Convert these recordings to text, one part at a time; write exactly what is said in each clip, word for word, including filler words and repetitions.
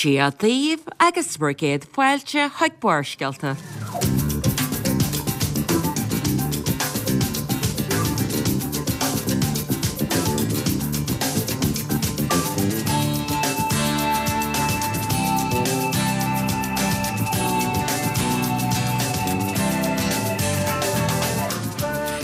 Dia daoibh agus bhur gcéad fáilte chuig Barrscéalta.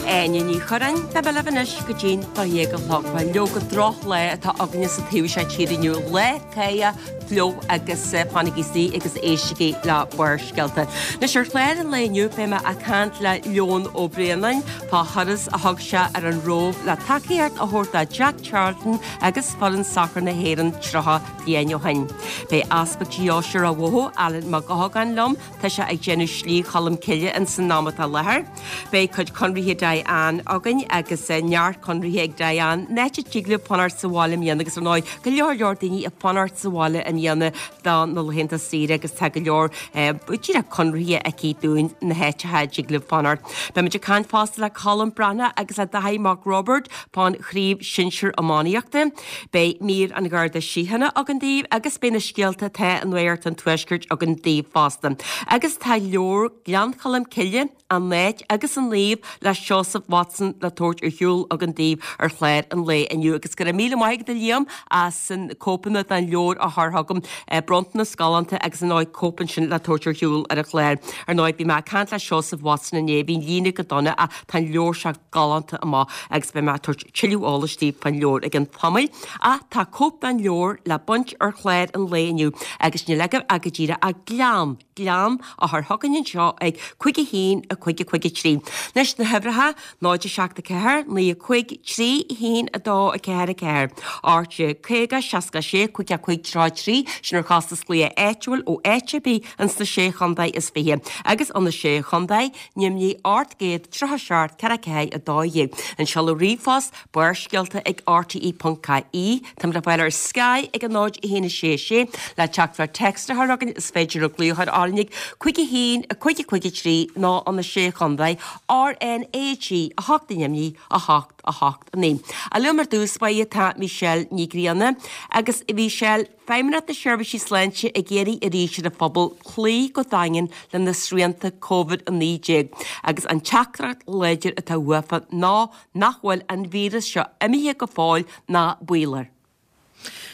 Áine Ní Churráin, beidh mé libh anois go dtí'n dó dhéag a chlog. Bhuel, leoga drochlá atá againne sa taobh seo tíre inniu, lá cáidheach, fliuch agus fanaigí istigh agus éistigí le Barrscéalta. Anois ar chlár an lae inniu beidh mé ag caint le Leon Ó Braonáin fá thuras a thug sé ar an Róimh le tacaíocht a thabhairt do Jack Charlton agus foireann sacair na hÉireann tríocha bliain ó shin. Beidh Easpag Deoise Ráth Bhoth, Alan Mac Eochagáin liom, tá sé ag déanamh Slí Cholm Cille ins an am atá i láthair. Beidh cuid conraithe Diane againn agus neart conraithe ag Diane, an áit a dtig libh fanacht sa bhaile i mbliana agus ar ndóigh go leor leor daoine ag fanacht sa bhaile i mbliana do na laethanta saoire agus tá go leor díreach conraithe aici dúinn na háiteacha a dtig libh fanacht. Beimid ag caint fosta le Colm Breathnach agus le Daithí Mac Roibeaird fán Chraobh Shinsir Iománaíochta. Beidh mír an Gharda Síochána againn daoibh agus beidh na scéalta atá i Nuacht an Tuaiscirt againn daoibh fosta. Agus tá leabhar Gleann Cholm Cille, An Áit agus an Naomh le Seosamh Watson le tabhairt ar shiúl againn daoibh ar chlár an lae inniu. Agus go raibh míle maith agat a Liam as an cóipeanna den leabhar a chur chugam, bronntanas galánta agus ar ndóigh cóip ansin le tabhairt ar shiúl ar an chlár. Ar ndóigh bhí mé ag caint le Seosamh Watson inné, bhí an líne go dona ach tá an leabhar seo galánta amach agus beidh mé ag tabhairt tuilleadh eolais daoibh fán leabhar i gcionn tamaill. Ach tá cóip den leabhar le baint ar chlár an lae inniu agus níl agaibh ach go díreach ach Gleann, Gleann a chur chugainn anseo ag cúig a haon, a cúig a cúig a trí. Anois na huimhreacha, náid a seacht a ceathair, naoi a cúig, trí a haon a dó a ceathair a ceathair, ocht déag caoga, seasca a sé, cúig a cúig tríocha a trí, sin ar chostas glaoch áitiúil ó áit ar bith ins na Sé Chontae is Fiche agus ó na Sé Chontae, Nimhní ocht gcéad tríocha a seacht ceathair ceathair a dó dhéag. An seoladh ríomhphost, Barrscéalta ag rte ponc ie. Táimid le fáil ar Sky ag a náid a haon a sé a sé. Le teachtaireacht téacs a chur chugainn is féidir glaoch a chur orainn ag cúig a haon a cúig a cúig a trí nó ó na Sé Chontae, RnaG a hocht i nDoimní a hocht a hocht a naoi. Ach liom ar dtús báire tá Michelle Ní Ghrianna agus a Mhichelle, Feidhmeannacht na Seirbhísí Sláinte ag iarraidh arís ar an phobal cloí go daingean le na srianta Covid a naoi déag agus an teachtaireacht láidir atá uafa ná nach bhfuil an víreas seo imithe go fóill ná baol air.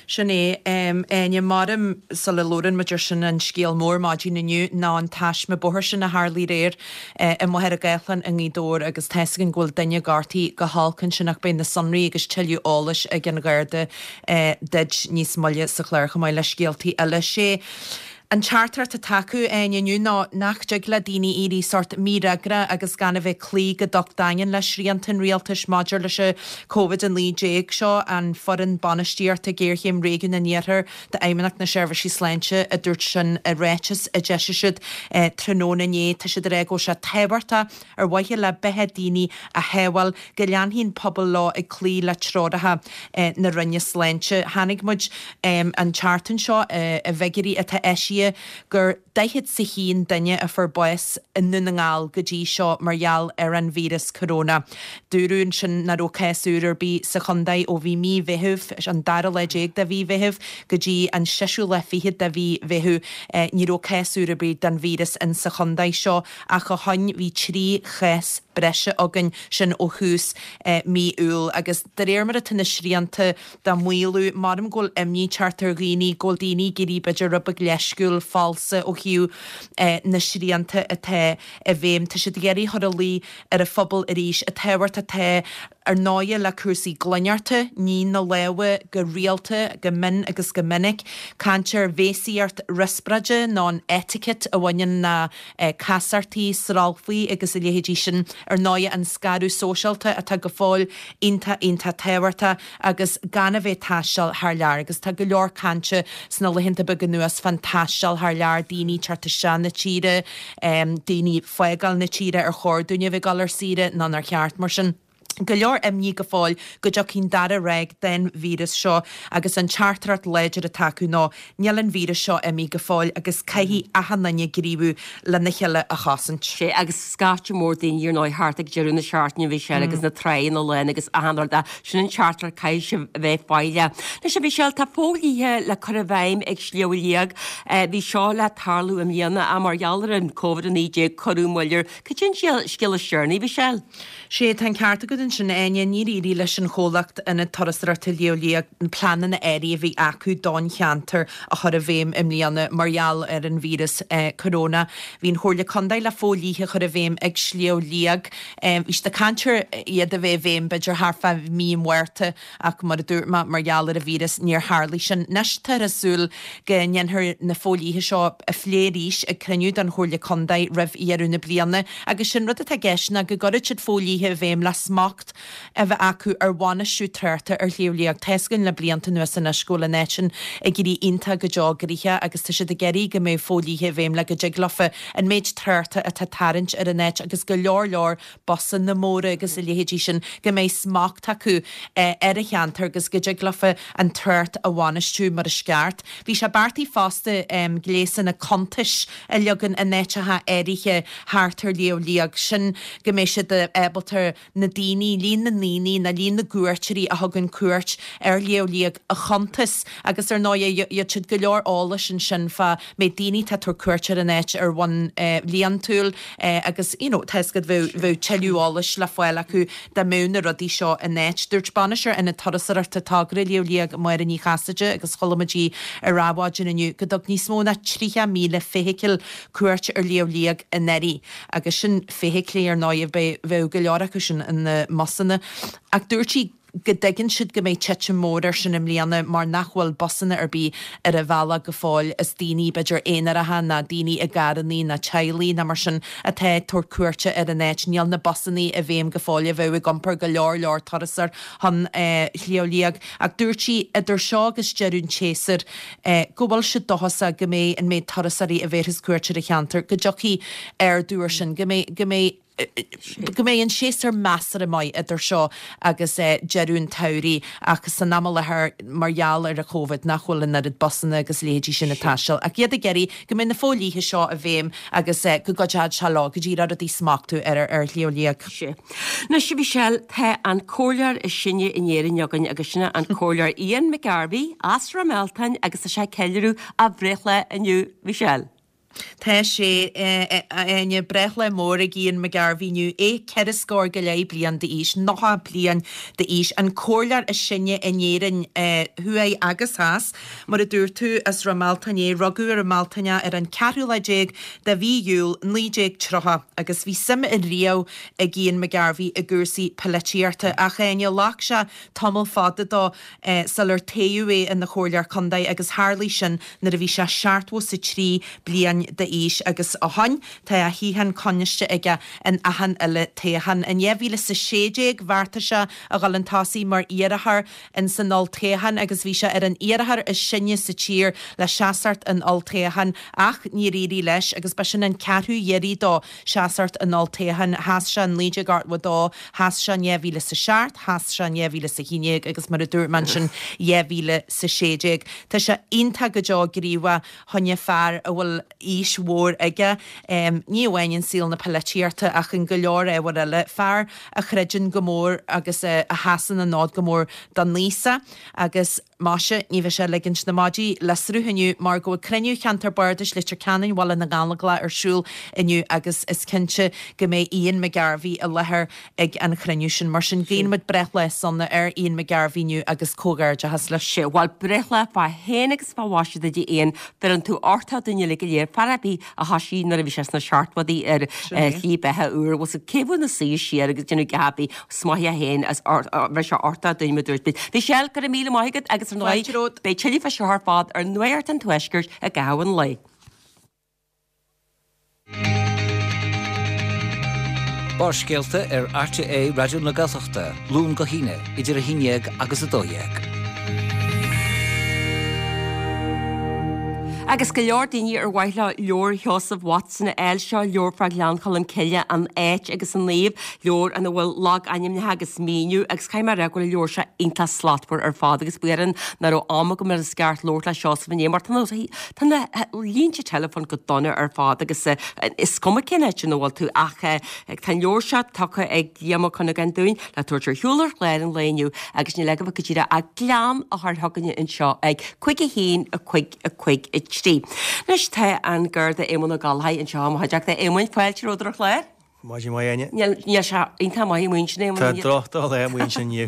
Sin é, Áine, maram sula labhrann muid ar sin an scéal mór maidin inniu ná an taisme bóthair sin a tharlaigh aréir i Machaire Gathlán i nGaoth Dobhair agus tá's againn go bhfuil duine gortaithe go holc ansin ach beidh na sonraí agus tuilleadh eolais ag an Gharda duit níos moille sa chlár chomh maith le scéaltaí eile. Sé an teachtaireacht atá acu, Áine, inniu ná nach dtig le daoine éirí sórt mífhreagrach agus gan a bheith cloí go docht daingean le srianta an rialtais maidir leis an Covid a naoi déag. Seo an foireann bainistíochta géarchéim Réigiún an Iarthair d'Fheidhmeannacht na Seirbhísí Sláinte a dúirt sin i ráiteas a d'eisigh siad tráthnóna inné. Tá siad ag rá go bhfuil sé tábhachtach ar mhaithe le beatha daoine a shábháil go leanfaidh an pobal leo ag cloí le treoracha na Roinne Sláinte. Chonaic muid an tseachtain seo i bhfigiúirí atá eisithe gur daichead 's a haon duine a fuair bás i nDún na nGall go dtí seo mar gheall ar an víreas coróna. Dúradh ansin nach raibh cás úr ar bith sa chontae ó bhí mí Mheithimh, an dara lá déag de mhí Mheithimh, go dtí an seisiú lá fichead de mhí Mheithimh. Ní raibh cás úr ar bith den víreas in sa chontae seo ach ó shoin bhí trí chás breise againn, sin ó thús mí Iúil. Agus de réir mar atá na srianta dá maolú, maram go bhfuil imní ag teacht ar dhaoine, go bhfuil daoine ag éirí b'fhéidir rud beag leisciúil, falsa ó thaobh na srianta atá i bhfeidhm. Tá siad ag iarraidh a chur ina luí ar an phobal arís an tábhacht atá ar ndóighe le cúrsaí glaineachta, ní na lámha go rialta, go mion agus go minic, caint ar bhéasaíocht riospráide nó an etiquette a bhaineann le casachtaí, sralfaí agus a leithéidí sin. Ar ndóighe an scaradh sóisialta atá go fóill iontach iontach tábhachtach agus gan a bheith ag taisteal thar lear agus tá go leor cainte sna laethanta beaga anuas fán taisteal thar lear, daoine ag teacht isteach na tíre, daoine ag fágáil na tíre, ar chóir dúinn a bheith ag dul ar saoire nó nár cheart mar sin. go leor imní go fóill go dtiocfaidh an dara ráig den víreas seo agus an teachtaireacht láidir atá acu ná níl an víreas seo imithe go fóill agus caithfidh achan duine gníomhú lena chéile a chosaint. Sé agus scaifte mór daoine ar ndóigh thart ag deireadh na seachtaine a Mhichelle agus na tránna lán agus achan rud sin an teachtaireacht caithfidh sibh a bheith foighleach. Anois a Mhichelle tá fodhlíthe le cur i bhfeidhm ag Sliabh Liag. Bhí seo le tarlú i mbliana ach mar gheall ar an Covid a naoi déag cuireadh moill air. Cad é an scéal is deireanaí, Mhichelle? Sé, tá an ceart agat ansin, a Áine, níor éirigh leis an chomhlacht Ionad Turasóireachta Shliabh Liag na pleananna áirithe a bhí acu don cheantar a chur i bhfeidhm i mbliana mar gheall ar an víreas coróna. Bhí an Chomhairle Contae le fodhlíthe a chur i bhfeidhm ag Sliabh Liag. Bhí siad ag caint ar iad a bheith i bhfeidhm b'fhéidir thart fá mí an Mhárta ach mar a dúirt mé mar gheall ar an víreas níor tharlaigh sin. Anois táthar ag súil go ndéanfar na fodhlíthe seo a phlé arís ag cruinniú den Chomhairle Contae roimh dheireadh na bliana agus sé'n rud atá i gceist ná go gcuirfidh siad fodhlíthe i bhfeidhm le smacht a bheith acu ar bhainistiú tráchta ar Shliabh Liag. Tá's againn le blianta anuas anois go bhfuil an áit sin ag éirí iontach go deo gnoitheach agus tá siad ag iarraidh go mbeidh fodhlíthe i bhfeidhm le go dtig leofa an méid tráchta atá ag tarraingt ar an áit agus go leor leor busanna móra agus a leithéidí sin go mbeidh smacht acu ar an cheantar agus go dtig leofa an trácht a bhainistiú mar is ceart. Bhí sé beartaithe fosta gléasanna cuntais a leagan in áiteacha áirithe thart ar Shliabh Liag, sin go mbeidh siad ábalta na daoine, líon na ndaoine nó líon na gcuairteoirí a thugann cuairt ar Shliabh Liag a chuntas agus ar ndóigh gheobhadh siad go leor eolais ansin fá méid daoine atá ag tabhairt cuairt ar an áit ar bhonn bhliantúil agus you know tá 'fhios agat bheadh bheadh tuilleadh eolais le fáil acu dá mbeadh na rudaí seo in áit. Dúirt Bainisteoir Ionad Turasóireachta Togra Shliabh Liag, Máire Ní Chasaide agus chuala muid í ar Adhmhaidin inniu go dtug níos mó ná tríocha míle feithicil cuairt ar Shliabh Liag anuraidh agus sin feithiclí ar ndóigh bheadh go leor acu sin ina mbusanna ach dúirt sí go dtuigeann siad go mbeidh titim mór air sin i mbliana mar nach bhfuil busanna ar bith ar an bhealach go fóill is daoine b'fhéidir aonaracha ná daoine i gcarrannaí ná teaghlaigh ná mar sin atá ag tabhairt cuairte ar an áit. Níl na busannaí i bhfeidhm go fóill a bheadh ag iompar go leor leor turasóir chun Shliabh Liag ach dúirt sí idir seo agus deireadh an tséasúir go bhfuil siad dóchasach go mbeidh an méid turasóirí a bhéarfas cuairt ar an cheantar go dtiocfaidh ardú air sin, go mbeidh go mbeidh go mbeidh an séasúr measartha maith idir seo agus deireadh an tsamhraidh ach san am i láthair mar gheall ar an Covid nach bhfuil an oiread busanna agus leithéidí sin ag taisteal ach iad ag iarraidh go mbeidh na fodhlíthe seo i bhfeidhm agus go gcuideoidh sé leo go díreach rudaí a smachtú ar ar Shliabh Liag. Sea. Anois, a Mhichelle, tá an comhairleoir is sine in Éirinn againn agus sin é an Comhairleoir Ian McGarvey as Ráth Mealtain agus tá sé ag ceiliúradh a bhreithlá inniu, Michelle. Tá sé, a Áine, breithlá mór ag Ian McGarvey inniu, é ceithre scór go leith bliain d'aois, nócha bliain d'aois, an comhairleoir is sine in Éirinn thuaidh agus theas. Mar a dúirt tú, as Ráth Mealtain é, rugadh i Ráth Mealtain é ar an ceathrú lá déag de mhí Iúil naoi déag tríocha agus bhí suim riamh ag Ian McGarvey i gcúrsaí polaitíochta ach, a Áine, ghlac sé tamall fada dó sular toghadh é ina chomhairleoir contae agus tharlaigh sin nuair a bhí sé seachtó 's a trí bliain d'aois agus ó shoin tá a shuíochán coinniste aige in achan uile toghchán. In dhá mhíle 's a sé déag bheartaigh sé a dhul chun tosaigh mar iarrthóir in san olltoghchán agus bhí sé ar an iarrthóir is sine sa tír le seasacht in olltoghchán ach níor éirigh leis agus b'shin an ceathrú iarraidh dó seasacht in olltoghchán. Sheas sé in naoi déag ochtó a dó, sheas sé in dhá mhíle 's a seacht, sheas sé in dhá mhíle 's a haon déag agus mar a dúirt mé ansin dhá mhíle 's a sé déag. Tá sé iontach go deo gníomhach fá choinne fear a bhfuil aois mhór aige, ní amháin in saol na polaitíochta ach in go leor ábhar eile. Fear a chreideann go mór agus a sheasann an fód go mór don aosach agus maise, ní bheidh sé ag ligint na maidí le sruth inniu mar go bhfuil cruinniú Cheantar Bardais Leitir Ceanainn Bhaile na nGallóglach ar siúl inniu agus is cinnte go mbeidh Ian McGarvey i láthair ag an chruinniú sin. Mar sin, guíonn muid breithlá sona ar Ian McGarvey inniu agus comhghairdeachas leis. Sea, bhuel, breithlá fá shéan agus fá mhaise duit a Ian, bheireann tú uchtach dúinn uilig go léir, fear ar bith a thoisigh nuair a bhí sé sna seachtóidí ar shlí beatha úr, bhfuil 's cé bhfuil na suí siar agus déanamh geábhaí, 's maith é féin as bheir sé uchtach dúinn mar a dúirt muid. Michelle, go raibh míle maith agat agus ar ndóigh, beidh tuilleadh fá seo ar fad ar Nuacht an Tuaiscirt i gcaitheamh an lae. Barrscéalta ar RTÉ Raidió na Gaeltachta, Luan go hAoine, idir a haon déag agus a dó dhéag. Agus go leor daoine ar mhaith leo leabhar Sheosamh Watson a fháil seo leabhar fá Ghleann Cholm Cille an áit agus an naomh, leabhar ina bhfuil logainmneacha agus míniú agus caithfidh mé a rá go bhfuil an leabhar seo iontach slachtmhar ar fad agus buíochas nach raibh am agam ar an sceart labhairt le Seosamh inné mar tá na tá na línte teileafóin go dona ar fad agus is cuma cén áit ina bhfuil tú ach tá an leabhar seo tugtha ag Liam Ó Cuinneagáin dúinn le tabhairt ar shiúl ar chlár an lae inniu agus níl agaibh ach go díreach ach glaoch a chur chugainne anseo ag cúig a haon a cúig a cúig a trí. Anois tá an Garda Éamonn Ó Gallchóir anseo i mo chuideachta. Éamoinn, fáilte romhat ar an chlár. Maidin mhaith Áine. Níl sé iontach maith amuigh ansin Éamonn. Tá drochdhá amuigh ansin inniu.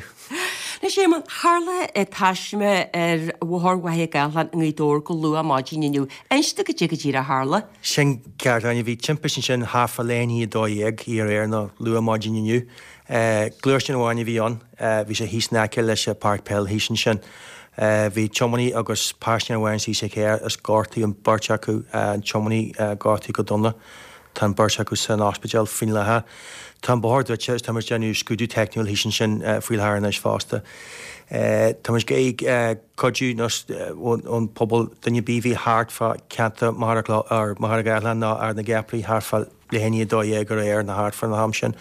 Anois Éamonn, tharla taisme ar Bhóthar Mhachaire Gathlán i nGaoth Dobhair go luath maidin inniu. Inis dom goidé go díreach a tharla. Sin ceart Áine, bhí timpiste ansin thart fá leath i ndiaidh a dó dhéag aréir nó luath maidin inniu. Gluaisteán amháin a bhí ann, bhí sé thíos in aice leis an páirc peil thíos ansin. Bhí tiománaí agus paisinéir amháin istigh sa charr is gortaíodh an beirt acu, an tiománaí gortaithe go dona. Tá an beirt acu san ospidéal faoin láthair. Tá an bóthar druidte is táimid ag déanamh scrúdú teicniúil thíos ansin faoi láthair anois fosta. Táimid ag cuidiú ón pobal duine ar bith a bhí thart fá ceantar Mhachaire Gathlán nó Ard na gCeapaí thart fá leath i ndiaidh a dó dhéag aréir nó thart fán am sin,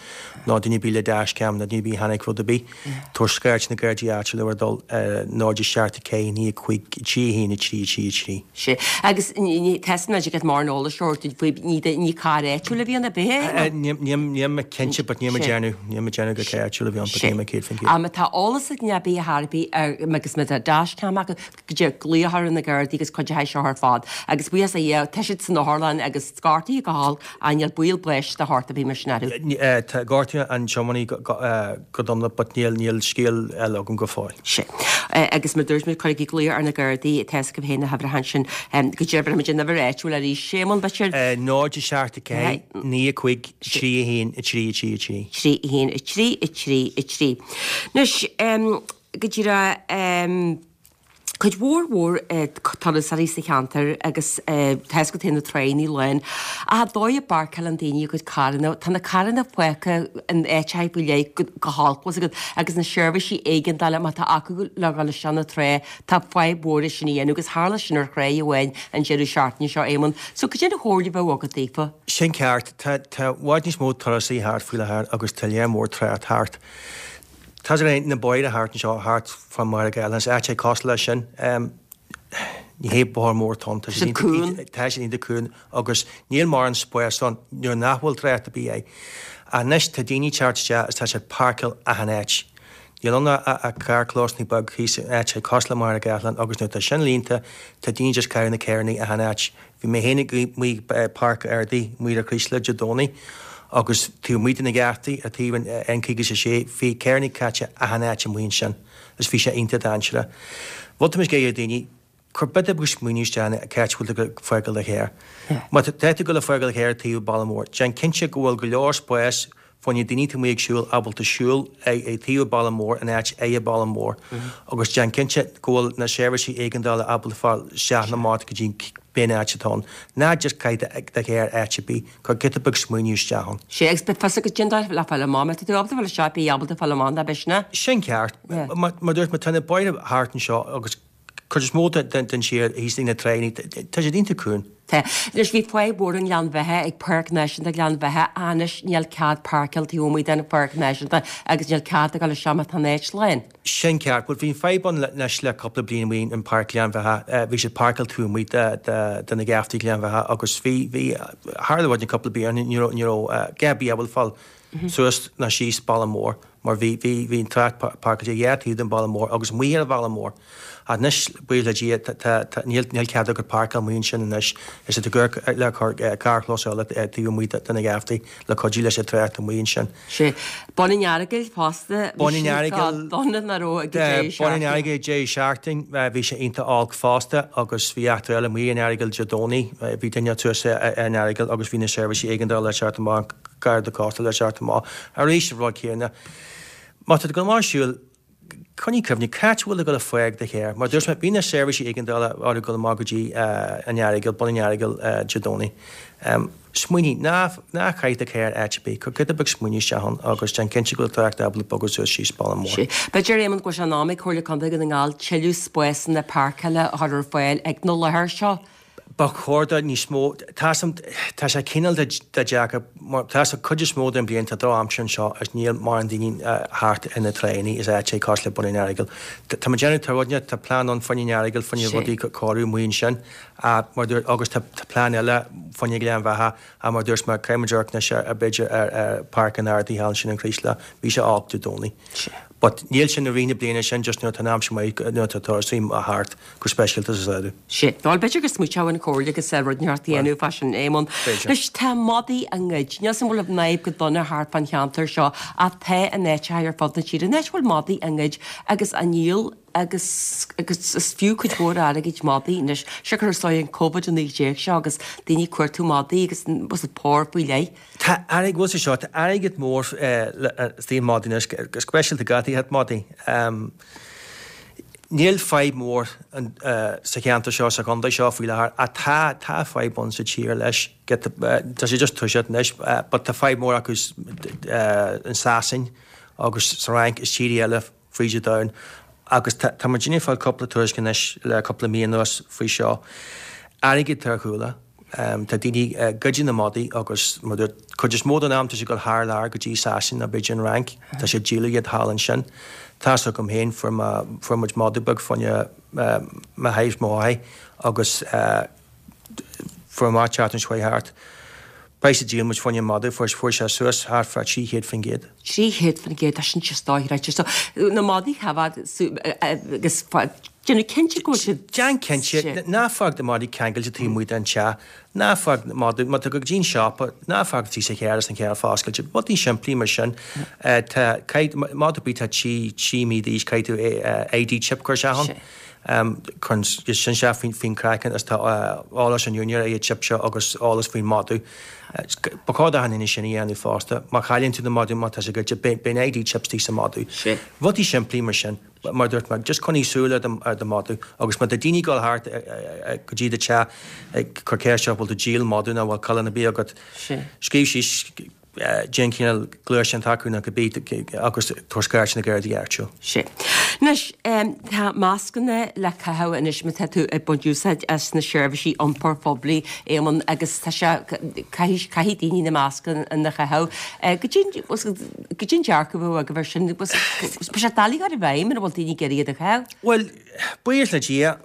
nó duine ar bith le dashcam nó duine ar bith a chonaic rud ar bith, tabhair scairt na Gardaí áitiúla ar dul náid a seacht a ceathair naoi a cúig trí a haon a trí a trí a trí. Sea. Agus tá mé ag get mórán eolais a thabhairt faoi, ní ní carr áitiúil a bhí ann ar bith é? Níl mé cinnte but níl mé ag déanamh, níl mé ag déanamh gur carr áitiúil a bhí ann but níl mé céad faoin gcéad. Má tá eolas ag duine ar bith ar bith agus má tá dashcam acu, go dtí glaoch ar na Gardaí agus cuideoidh seo ar fad. Agus buíochas le Dia, tá siad san otharlann agus gortaithe go holc, ach níl baol báis de shórt ar bith mar sin orthu. Tá gortaithe an tiománaí go dona but níl níl scéal eile agam go fóill. Sea. Agus mar dúirt muid, cuirigí glaoch ar na Gardaí, tá fhios agaibh féin na huimhreacha ansin. Go deimhin, muid an uimhir áitiúil arís. Éamonn, b'fhéidir? Náid a seacht a ceathair, naoi a cúig, trí a haon, a trí a trí a trí. Trí a haon, a trí a trí a trí. Anois, go díreach, cuid mhór mhór turasóirí sa cheantar agus tá fhios agat féin na tráigheannaí lán. Ach an dóigh a bpáirceálann daoine a gcuid carranna, tá na carranna fágtha in áiteacha faoi leith go holc, bhfuil fhios agat, agus na seirbhísí éigeandála má tá acu le dhul isteach na trá, tá fadhb mhór é sin a dhéanamh agus tharla sin ar thráigh amháin an deireadh seachtaine seo, Éamonn. So cad é an chomhairle a bheadh agat daofa? Sin ceart. Tá tá i bhfad níos mó turasóirí thart faoi láthair agus tá lear mór trácht thart. Tá sé na bóithre thart anseo, thart fá Mhachaire Gathlán, is áit é cosúil leis sin. Ní hé bóthar mór atá ann, tá siad cúng. Tá siad iontach cúng agus níl mórán spáis ann nuair nach bhfuil trácht ar bith air. Anois tá daoine ag teacht isteach is tá siad ag páirceáil achan áit. Níl ann ach carrchlós beag thíos in áit cosúil le Machaire Gathlán agus nuair atá sin líonta tá daoine just caitheamh na carranna achan áit. Bhí mé féin amuigh i Páirc Ardaí, amuigh ar Chríosla Dé Domhnaigh agus taobh amuigh de na geaftaí ar taobh an N caoga is a sé, bhí carranna caite achan áit amuigh ansin is bhí sé iontach dainséarach. Rud atá muid ag iarraidh ar daoine, cuir giota beag smaoineamh isteach cá háit a bhfuil tú ag fágáil do charr. Má tá tú ag dul ag fágáil do charr taobh baile mór, déan cinnte go bhfuil go leor spáis fá choinne daoine atá amuigh ag siúl ábalta siúl ag taobh baile mór in áit ag baile mór agus déan cinnte go bhfuil na seirbhísí éigeandála ábalta fáil isteach nó amach go dtí pé áit atá ann. Ná just caith do charr áit ar bith, cuir giota beag smaoineamh isteach ann. Sea, agus beidh fios agat cén dóigh le fáil amach, má tá tú ábalta fáil isteach, bí ábalta fáil amach, ná beidh sin é? Sin ceart. Mar dúirt mé, tá na bóithre thart anseo agus cuid is mó den tír thíos ag na tráigheanna, tá siad iontach cúng. Tá. Anois bhí fadhb mhór i nGleann Bheatha ag Páirc Náisiúnta Ghleann Bheatha anois níl cead páirceáil taobh amuigh den Pháirc Náisiúnta agus níl cead a dhul isteach má tá an áit lán. Sin ceart. Bhuel bhí an fadhb ann anois le cúpla bliain amuigh in Páirc Ghleann Bheatha. Bhí siad páirceáil taobh amuigh de de na geaftaí Ghleann Bheatha agus bhí bhí tharla rud cúpla bliain ní raibh ní raibh gá ar bith ábalta fáil suas ná síos baile mór mar bhí bhí bhí an trácht páirceáilte dhá taobh den bhaile mór agus amuigh ar an bhaile mór. Ach anois, buíochas le Dia, tá tá tá níl níl cead agat páirceáil amuigh ansin anois. Is iad ag cur le cur carrchlós eile taobh amuigh de na geaftaí le cuidiú leis an trácht amuigh ansin. Sea. Bun an Earagail fosta. Bun an Earagail. Dona nach raibh ag an deireadh seachtaine. Bun an Earagail deireadh seachtaine, bhí sé iontach olc fosta agus bhí eachtra eile amuigh in Earagail Dé Domhnaigh. Bhí duine suas ar an Earagail agus bhí na seirbhísí éigeandála ag teacht amach, Garda Cósta le teacht amach. Arís an rud céanna. Má tá tú ag dul amach ag siúl, coinnigh cuimhne, cá háit a bhfuil tú ag dul ag fág do charr. Mar dúirt mé, bhí na seirbhísí éigeandála orthu dul amach go dtí an Earagail, Bun an Earagail Dé Domhnaigh. Smaoinigh, ná ná caith do charr áit ar bith, cuir giota beag smaoinimh isteach ann agus déan cinnte go bhfuil trácht ábalta bogadh suas síos baile mór. Sea. B'fhéidir, Éamonn, go bhfuil sé in am ag Comhairle Contae Dhún na nGall tuilleadh spásanna páirceála a chur ar fáil ag na láthair seo. Ba chóir do níos mó, tá tá sé cineál de deacair, tá sa cuid is mó den bliain tá drochaimsir anseo is níl mórán daoine thart i na tráigheannaí is áit é cosúil le Bun an Earagail. Tá muid déanamh tá rud tá plean ann fá choinne an Earagail fá choinne rudaí cóiriú amuigh ansin mar dúirt agus tá plean eile fá choinne Gleann Bheatha a mar dúirt mé caithfidh muid amharc anois ar b'fhéidir ar Páirc an Ardaí thall ansin an Chraoslaigh bhí sé olc Dé Domhnaigh. But níl sin i rith na bliana sin just nuair atá an aimsir maith nuair atá turasóirí thart go speisialta sa samhradh. Sé. Bhuel b'fhéidir go smaoiteodh an Chomhairle agus rud inteacht a dhéanamh fá sin Éamonn. Anois tá madaí á ngoid. Níl 's agam an bhfuil an fhadhb go dona thart fán cheantar seo ach tá in áiteacha ar fud na tíre. Anois bhfuil madaí á ngoid agus á ndíol agus agus is fiú cuid mhór airgid madaí anois. Siocair is dóigh an Covid a naoi déag seo agus daoine ag cuartú madaí agus was it pór faoi leith. Tá airgead bhfuil sé seo, tá airgead mór istigh i madaí anois, go speisialta gadaithe madaí. Níl fadhb mór sa cheantar seo, sa chontae seo faoi láthair, ach tá tá fadhb ann sa tír leis. Tá sé just toiseacht anois, but tá fadhb mór acu in Sasain agus sa Fhrainc is tíortha eile fríd an domhan. Agus tá tá muid ag fáil cúpla tuairisc anois le cúpla mí anuas faoi seo. Airgead ar chúla. Tá daoine ag goid na madaí agus mar dúirt cuid is mó den am tá siad ag dul thar lear go dtí Sasain nó b'fhéidir an Fhrainc. Tá siad ag díol iad thall ansin. Tá's agam féin fuair mé fuair muid madadh beag fá choinne mo thaobh mo mháthair agus fuair mé teacht an seo thart. Praghas a dhíol muid fá choinne an madadh fuair fuair sé suas thart fá trí chéad faoin gcéad. Trí chéad faoin gcéad, tá sin just dochreidte. So na madaí a choimeád agus déanamh cinnte go bhfuil siad. Déan cinnte, ná fág do mhadaí ceangailte taobh amuigh den teach, ná fág madadh, má tá go dtí an siopa, ná fág tí sa charr is an carr foscailte, rudaí simplí mar sin. Tá madadh ar bith atá trí trí mí d'aois caithfidh tú ID chip a chur isteach ann. Cuireann sin isteach faoin faoin craiceann is tá eolas an úinéir ar an chip seo agus eolas faoin madadh. Ba chóir d'achan duine sin a dhéanamh fosta. Má chailleann tú na madadh má tá sé goidte, beidh an ID chip istigh sa madadh. Rudaí simplí mar sin. Mar dúirt mé, just coinnigh súil ar do ar do mhadadh agus má tá daoine ag dul thart go dtí do teach ag cur ceist ort bhfuil tú ag díol madadh nó bhfuil coileán ar bith agat, scríobh síos déan cineál gluaiseán acu nó cibé agus tabhair scairt na Gardaí áitiúil. Sea. Anois, tá mascanna le caitheamh anois má tá tú ag baint úsáid as na seirbhísí iompair phoiblí, Éamonn, agus tá sé, caithfidh, caithfidh daoine na mascanna a chaitheamh. Goidé, goidé an dearcadh a bheadh agaibh air sin? Tá sé doiligh a chur i bhfeidhm mura bhfuil daoine ag iarraidh iad a chaitheamh. Bhuel, buíochas le Dia,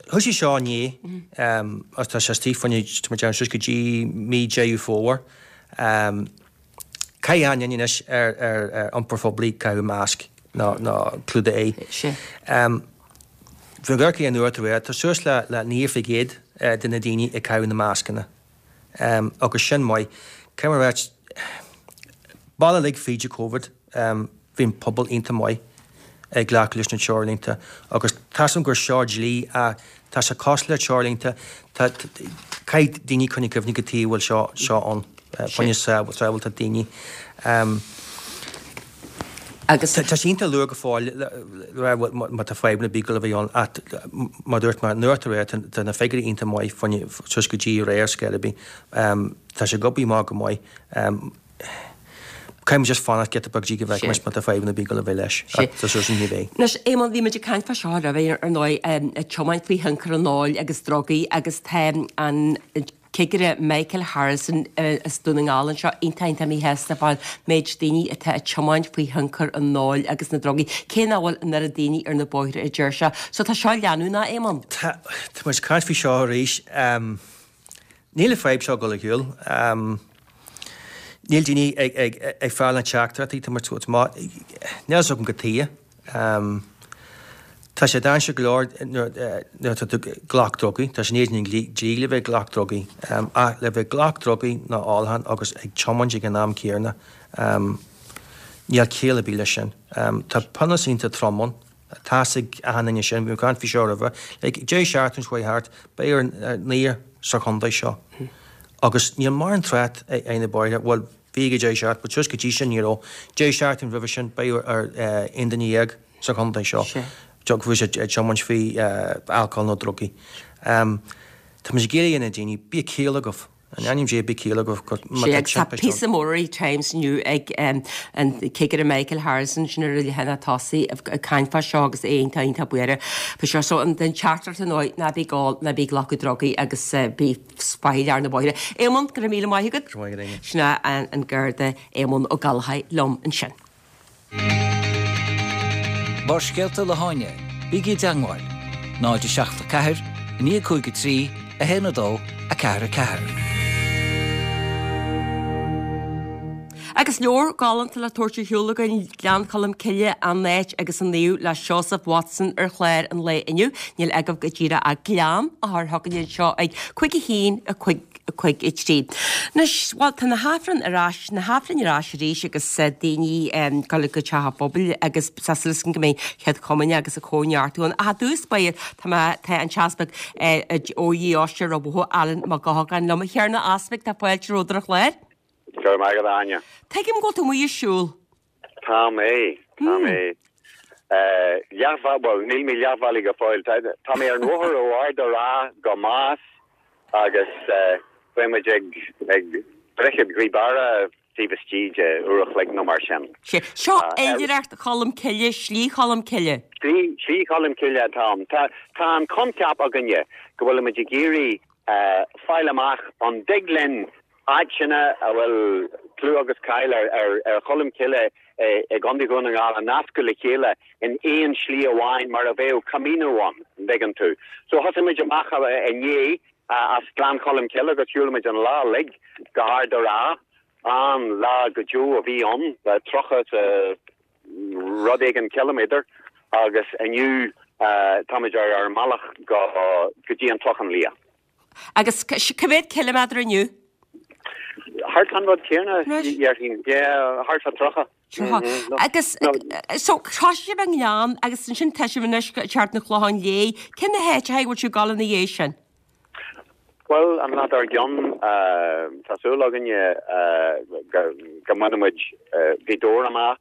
thosaigh seo inné, agus tá sé istigh fá choinne, tá muid suas go dtí mí Deireadh Fómhair. Caithfidh achan duine anois ar ar iompar phoiblí caitheamh masc nó nó clúdach aghaidhe. Bhí an Ghairce an uair tar tá suas le le naoi faoin gcéad de na daoine ag caitheamh na mascanna. Agus sin maith. Caithfidh mé a ráit, bail uilig fríd an Covid, bhí an pobal iontach maith ag glacadh leis na treoirlínte agus tá's agam gur seo dlí ach tá sé cosúil le treoirlínte, tá caithfidh daoine coinneáil cuimhne cad chuige a bhfuil seo seo ann, fá choinne sábháilteacht daoine. Agus. Tá sé iontach luath go fóill le rá má tá fadhbanna ar bith ag dul a bheith ann ach mar dúirt mé nuacht aréir tá na figiúirí iontach maith fá choinne suas go dtí aréir scéal ar bith. Tá sé ag obair amach go maith. Caithfidh muid just fanacht giota beag go dtí go bhfeicfidh muid má tá fadhbanna ar bith ag dul a bheith leis. Ach tá súil againn ní bheidh. Anois, Éamonn, bhí muid ag caint fá seo roimhe, ar ndóigh, ag tiomáint faoi thionchar an óil agus drugaí agus tá an Cigire Michael Harrison as Dún na nGall anseo iontach iontach míshásta fán méid daoine atá ag tiomáint faoi thionchar an óil agus na drugaí, cé nach bhfuil an oiread daoine ar na bóithre a deir sé. So tá seo leanúnach, Éamonn. Tá, tá muid ag caint faoi seo arís. Níl an fadhb seo ag dul ar shiúl. Níl daoine ag, ag, ag fáil na teachtaireachtaí, tá muid, níl a fhios agam cad chuige. Tá sé dainséarach go leor nuair atá tú ag glac drugaí, tá sé in éadan an dlí le bheith ag glac drugaí. Ach le bheith ag glac drugaí nó ólachán agus ag tiomáint ag an am céanna, níl ciall ar bith leis sin. Tá pionós iontach trom ann, tá's ag achan duine sin, bhí mé ag caint faoi seo roimhe. Like, deireadh seachtaine seo chuaigh thart, beidh ar naonúr sa chontae seo. Agus níl mórán trácht ar na bóithre, bhuel, bhí ag an deireadh seachtaine, but suas go dtí sin ní raibh. Deireadh seachtaine roimhe sin, beidh ar aon duine dhéag sa chontae seo. Go bhfuil siad ag tiomáint faoi alcohol nó drugaí. Tá muid ag iarraidh ar na daoine, bíodh ciall agaibh. In ainm Dé bí ciallach go má tá Tá píosa mór i Times inniu ag an Cigire Michael Harrison sin ar leathanach tosaigh ag caint fá seo agus é iontach iontach buartha faoi seo. So an teachtaireacht ar ndóigh ná bí ag ól, ná bí ag glacadh drugaí agus bí faichilleach ar na bóithre. Éamonn, go raibh míle maith agat. Go raibh maith agat, Áine. Sin é an Garda Éamonn Ó Gallchóir liom ansin. Barrscéalta le hÁine, bígí i dteangmháil, náid a seacht a ceathair, a naoi cúig a trí, a haon a dó, a ceathair a ceathair. Agus leabhar galánta le tabhairt ar shiúl againn, Gleann Cholm Cille, an áit agus an naomh le Seosamh Watson ar chlár an lae inniu. Níl agaibh go díreach ach Gleann a chur chugainn anseo ag cúig a haon a cúig a cúig a trí. Anois, bhuel, tá na hAifrinn ar ais, na hAifrinn ar ais arís agus daoine ag dul go teach an phobail agus tá súil againn go mbeidh Chéad Chomaoineach agus a Cóineartú ann. Ach i dtús báire, tá mé, tá an tEaspag ó Dheoise Ráth Bhoth, Alan Mac Eochagáin liom. A Thiarna Easpaig, tá fáilte romhat ar an chlár. Go raibh maith agat, a Áine. Tuigim go bhfuil tú amuigh ag siúl. Tá mé, tá mé. Leath, bhuel, níl mé leathbhealaigh go fóill. Tá mé ar an bhóthar ó Ard an Rátha go Más agus beidh muid ag Droichead Ghaoth Beara taobh istigh de uair a chloig nó mar sin. Sea. Seo Oilithreacht Cholm Cille, Slí Cholm Cille. Slí, Slí Cholm Cille atá ann. Tá, tá an coincheap againne go bhfuilimid ag iarraidh fáil amach an dtig linn áiteanna a bhfuil clú agus cáil ar Cholm Cille i gContae Dhún na nGall a nascadh le chéile in aon slí amháin mar a bheadh Camino ann, an dtuigeann tú. So thosaigh muid amach inné as Gleann Cholm Cille agus shiúil muid an lá uilig go hArd an Rátha. An-lá go deo a bhí ann, tríocha is rud éigin ciliméadar agus inniu táimid ar ár mbealach go dtí an Clochán Liath. Agus cá mhéad ciliméadar inniu? Thart an rud céanna, déarfainn. Yeah, thart fá tríocha. Tríocha. Agus so thosaigh sibh i nGleann agus ansin tá sibh anois ag teacht an Chlocháin Léith. Cé na háiteacha a bhfuil sibh ag dul ina dhiaidh sin? Bhuel, an lá dár gcionn, tá súil againne go mbainfidh muid Gaoth Dobhair amach.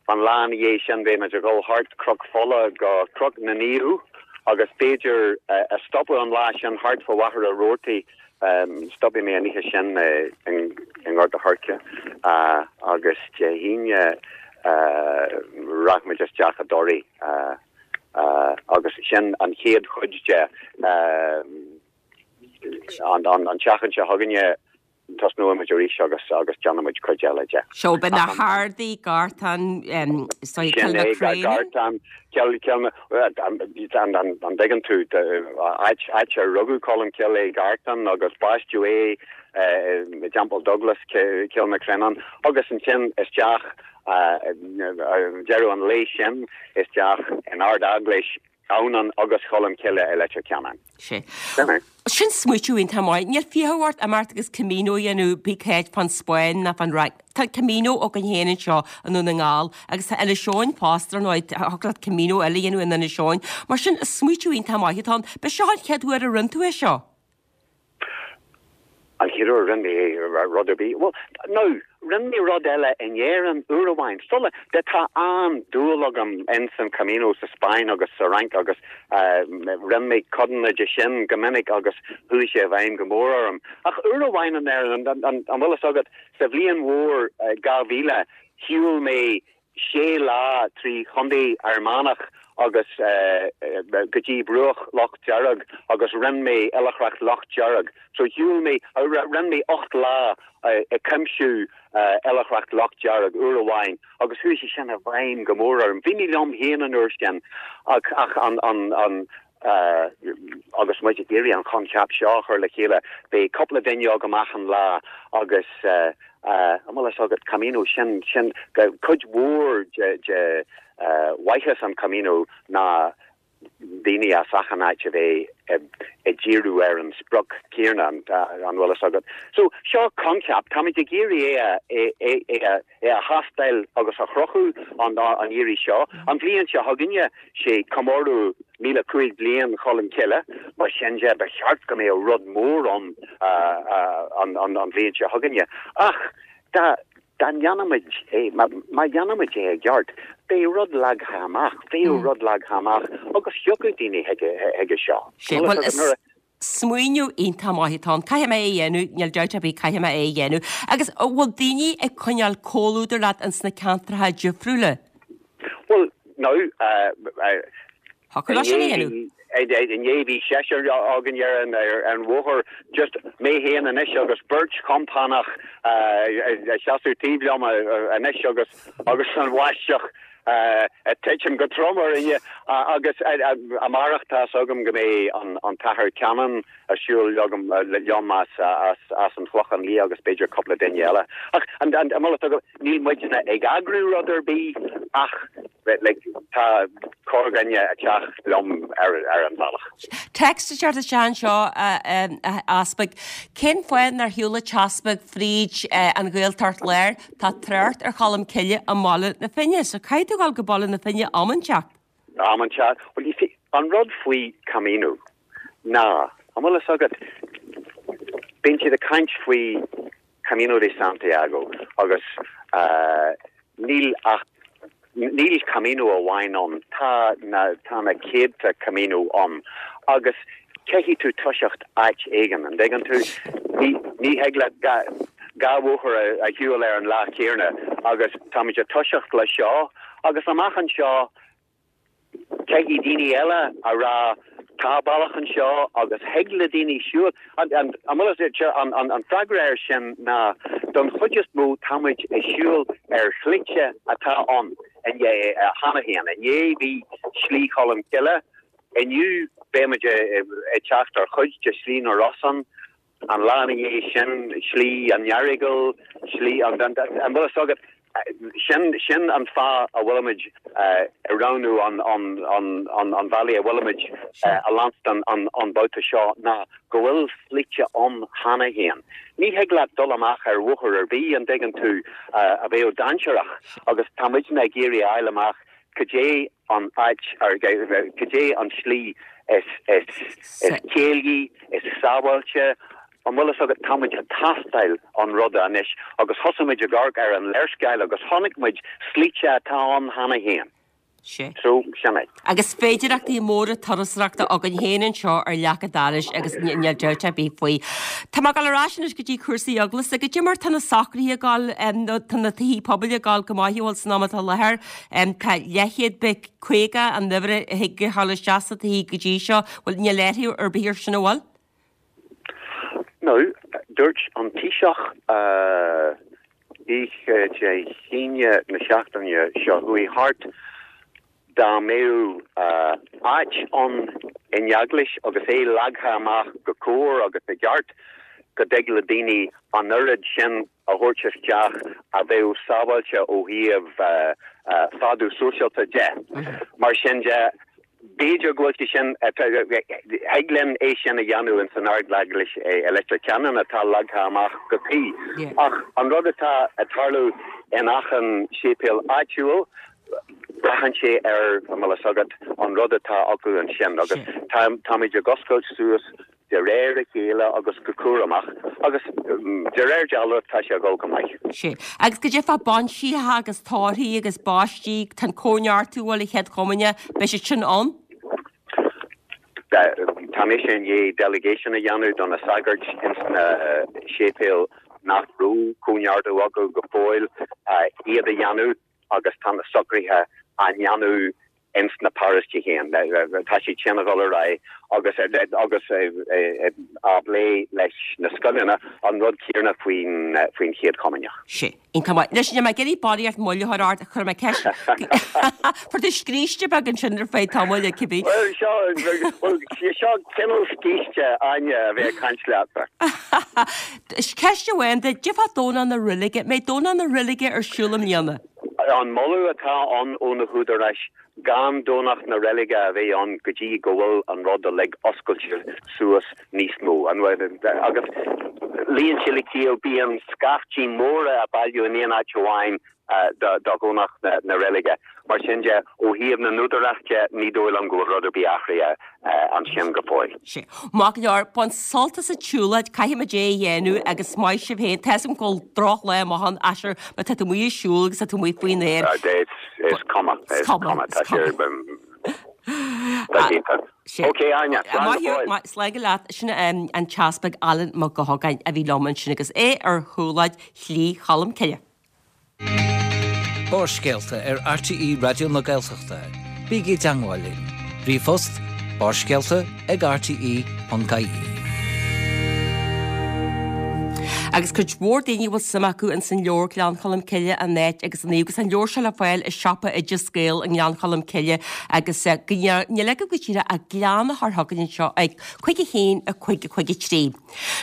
An lá ina dhiaidh sin beidh muid ag dul thart Cnoc Fola go Cnoc na Naomh agus b'fhéidir a stopadh an lá sin thart fá Mhachaire Rabhartaigh. Stopfaidh mé an oíche sin i nGort a' Choirce agus Dé hAoine rachaidh muid isteach i dToraigh agus sin an chéad chuid de. An tseachtain seo chugainne tosnóidh muid arís agus agus déanfaidh muid cuid eile de. Seo beidh na hArdaí, Gartán, Cill Sin na é, Craonaigh. Gartán, Cill, Cill na, an dtuigeann tú, áit, áit ar rugadh Colm Cille é Gartán agus baisteadh é i dTeampall Douglas, Cill na Craonán agus ansin isteach, deireadh an lae sin isteach in Ard-Eaglais Adhamhnáin agus Cholm Cille i Leitir Ceanainn. Sé. Sin é. Sin smaoitiú iontach maith. Níl fiacha ort imeacht agus Camino a dhéanamh pé cá háit fán Spáinn ná fán Fhrainc. Tá Camino againn féin anseo i nDún na nGall agus tá Inis Eoghain fosta ar ndóigh. Thiocfadh leat Camino eile a dhéanamh in Inis Eoghain. Mar sin, is smaoitiú iontach maith atá ann. B'é seo an chéad uair a rinne tú é seo? An chéad uair a rinne mé rud ar bith? Bhuel, no, rinne mé rud eile in Éirinn uair amháin. Sula, tá an-dúil agam ins an Camino sa Spáinn agus sa Fhrainc agus rinne mé codanna de sin go minic agus chuaigh sé i bhfeidhm go mór orm. Ach uair amháin in Éirinn, an bhfuil fhios agat, sa bhliain mhór dhá mhíle, shiúil mé sé lá trí Chontae Fhear Manach agus go dtí bruach Loch Dearg agus rinne mé Oilithreacht Loch Dearg. So shiúil mé, rinne mé ocht lá ag cuimsiú Oilithreacht Loch Dearg uair amháin agus chuaigh sé sin i bhfeidhm go mór orm. Bhí mé liom féin an uair sin ach ach an an an agus muid ag iarraidh an choincheap seo a chur le chéile, beidh cúpla duine agam achan lá agus an bhfuil fhios agat, Camino, sin, sin, cuid mhór de, de mhaitheas an Camino ná daoine as achan áit a bheith ag díriú ar an sprioc céanna, an bhfuil fhios agat. So, seo coincheap, táimid ag iarraidh é a, é, é, é a, é a thástáil agus a chruthú an iarraidh seo. An bhliain seo chugainne, sé comóradh míle cúig bliain Cholm Cille, mar sin de ba cheart go mbeadh rud mór ann an bhliain seo chugainne. Ach dá dá ndéanfaimid é, má dhéanaimid é i gceart, beidh rud leagtha amach, bheadh rud leagtha amach agus thiocfadh daoine chuige seo. Sé, bhuel, is. Smaoineamh iontach maith atá ann. Caithfidh mé é a dhéanamh, níl dabht ar bith, caithfidh mé é a dhéanamh. Agus an bhfuil daoine ag coinneáil comhluadar leat ins na ceantracha difriúla? Bhuel, no. Thiocfadh leo sin a dhéanamh. Inné bhí seisear againn ar an ar an bhóthar, just mé féin anois agus beirt chompánach ag seasamh taobh liom anois agus agus an bháisteach ag titim go trom orainne agus amárach tá's agam go mbeidh an tAthair Cannon ag siúl liom as an Chlochán Liath agus b'fhéidir cúpla duine eile. Ach an bhfuil fhios agat, níl muidne ag eagrú rud ar bith ach like tá corrdhuine ag teacht liom ar an bhealach. Text ag teacht isteach anseo, a Easpaig. Cén fáth nár shiúil an tEaspag fríd an Ghaeltacht Láir? Tá trácht ar Cholm Cille i mBaile na Finne, so caithfidh tú dhul go Baile na Finne am inteacht. Am inteacht. Well, you see, an rud faoi Camino ná, an bhfuil fhios agat, bíonn siad ag caint faoi Camino de Santiago agus níl ach, níl Camino amháin ann, tá na, tá na céadta Camino ann agus caithfidh tú toiseacht áit éigin, an dtuigeann tú? Ní, ní thig leat dhá, dhá bhóthar a, a shiúl ar an lá céanna agus táimid ag toiseacht le seo agus amach anseo caithfidh daoine eile a rá tá bealach anseo agus thig le daoine siúl. An, an, an bhfuil fhios agat, an, an, an freagra air sin ná don chuid is mó táimid ag siúl ar shlite atá ann inné, cheana féin. Inné bhí Slí Cholm Cille, inniu beimid ag teacht ar chuid de Shlí na Rosann, an lá ina dhiaidh sin, Slí an Earagail, Slí an, an, an bhfuil fhios agat, sin, sin an fáth a bhfuilimid ag roghnú an, an, an, an, an bhealaigh a bhfuilimid a leanstan an, an babhta seo ná go bhfuil slite ann cheana féin. Ní thig leat dul amach ar bhóthar ar bith, an dtuigeann tú, a bheadh dainséarach agus tá muidne ag iarraidh a fháil amach cad é an áit, cad é an slí is, is, is céillí, is sábháilte, an bhfuil fhios agat, tá muid ag tástáil an ruda anois agus thosaigh muid ag amharc ar an léarscáil agus chonaic muid slite atá ann cheana féin. Sea. So, sin é. Agus féidireachtaí móra turasóireachta againn féin anseo ar leac an dorais agus níl dabht ar bith faoi. Tá mé ag dul ar ais anois go dtí cúrsaí eaglasta. Goidé mar tá na socruithe ag dul, nó tá na tithe pobail ag dul go maith, an bhfuil san am atá i láthair. Tá leathchéad beag caoga an uimhir a thig a ghabháil isteach sna tithe go dtí seo. Bhuel, níl athrú ar bith air sin, an bhfuil? Now, dúirt an Taoiseach oíche Dé hAoine na seachtaine seo chuaigh thart, dá mbeadh áit ann in eaglais agus é leagtha amach go cóir agus i gceart, go dtig le daoine an oiread sin a thabhairt isteach a bheadh sábháilte ó thaobh fadú sóisialta de. Mar sin de, B'fhéidir go bhfuil sé sin, thig linn é sin a dhéanamh ins an Ardeaglais i Leitir Ceanainn atá leagtha amach go cuí. Ach an rud atá ag tarlú in achan séipéal áitiúil, braitheann sé ar, an bhfuil fhios agat, an rud atá acu ansin agus táimid ag oscailt suas de réir a chéile agus go cúramach agus de réir dealraimh tá sé ag dul go maith. Sea. Agus goidé fá bainseacha agus tórraimh agus baistí, tá an cóineartú bhuel an Chéad Chomaoineach, beidh siad sin ann? Tá mise i ndiaidh delegation a dhéanamh do na sagairt ins na séipéil nach raibh cóineartú acu go fóill iad a dhéanamh agus tá na socruithe á ndéanamh ins na paróistí féin. Tá siad sin a dhul ar aghaidh agus agus á bplé leis na scoileanna, an rud céanna faoin faoin Chéad Chomaoineach. Sea. Iontach maith. Anois, níl mé ag iarraidh barraíocht moill a chur ort, chuir mé ceist. Fuair tú scríste beag ansin ar feadh tamaill, cibé. Bhuel, seo, bhuel, seo cineál scíste, Áine, a bheith ag caint leatsa. Ceist amháin duit, goidé fá Domhnach na Reilige, mbeidh Domhnach na Reilige ar siúl i mbliana? An moladh atá ann ó na húdaráis gan Domhnach na Reilige a bheith ann go dtí go bhfuil an rud uilig oscailte suas níos mó. Agus luíonn sé le ciall, bíonn scaiftí móra ag bailiú in aon áit amháin do Dhomhnach na Reilige. Mar sin de, ó thaobh na n-údarás de, ní dóigh liom go bhfuil rud ar bith athraithe ansin go fóill. Sea. Maith go leor, bain sult as an tsiúlóid, caithfidh muid é a dhéanamh agus maith sibh féin. Tá 'fhios agam go bhfuil drochlá amach ann, ach sure, má tá tú amuigh ag siúl agus tá tú amuigh faoin aer. Is cuma, is cuma, tá sé. Tá iontach. Ok, Áine, slán go fóill. Slán go leat. Sin an tEaspag Alan Mac Gabhann a bhí liom ansin agus é ar shiúlóid Shlí Cholm Cille. Barrscéalta ar RTÉ Raidió na Gaeltachta. Bígí i dteagmháil linn. Ríomhphost barrscéalta ag rte.ie. Agus cuid mhór daoine bhfuil suim acu in san leabhar Gleann Cholm Cille an áit agus an naomh agus an leabhar seo le fáil i siopa Oideas Gael i nGleann Cholm Cille agus níl agaibh go díreach ach Gleann a chur chugainn anseo ag cúig a haon a cúig a cúig a trí.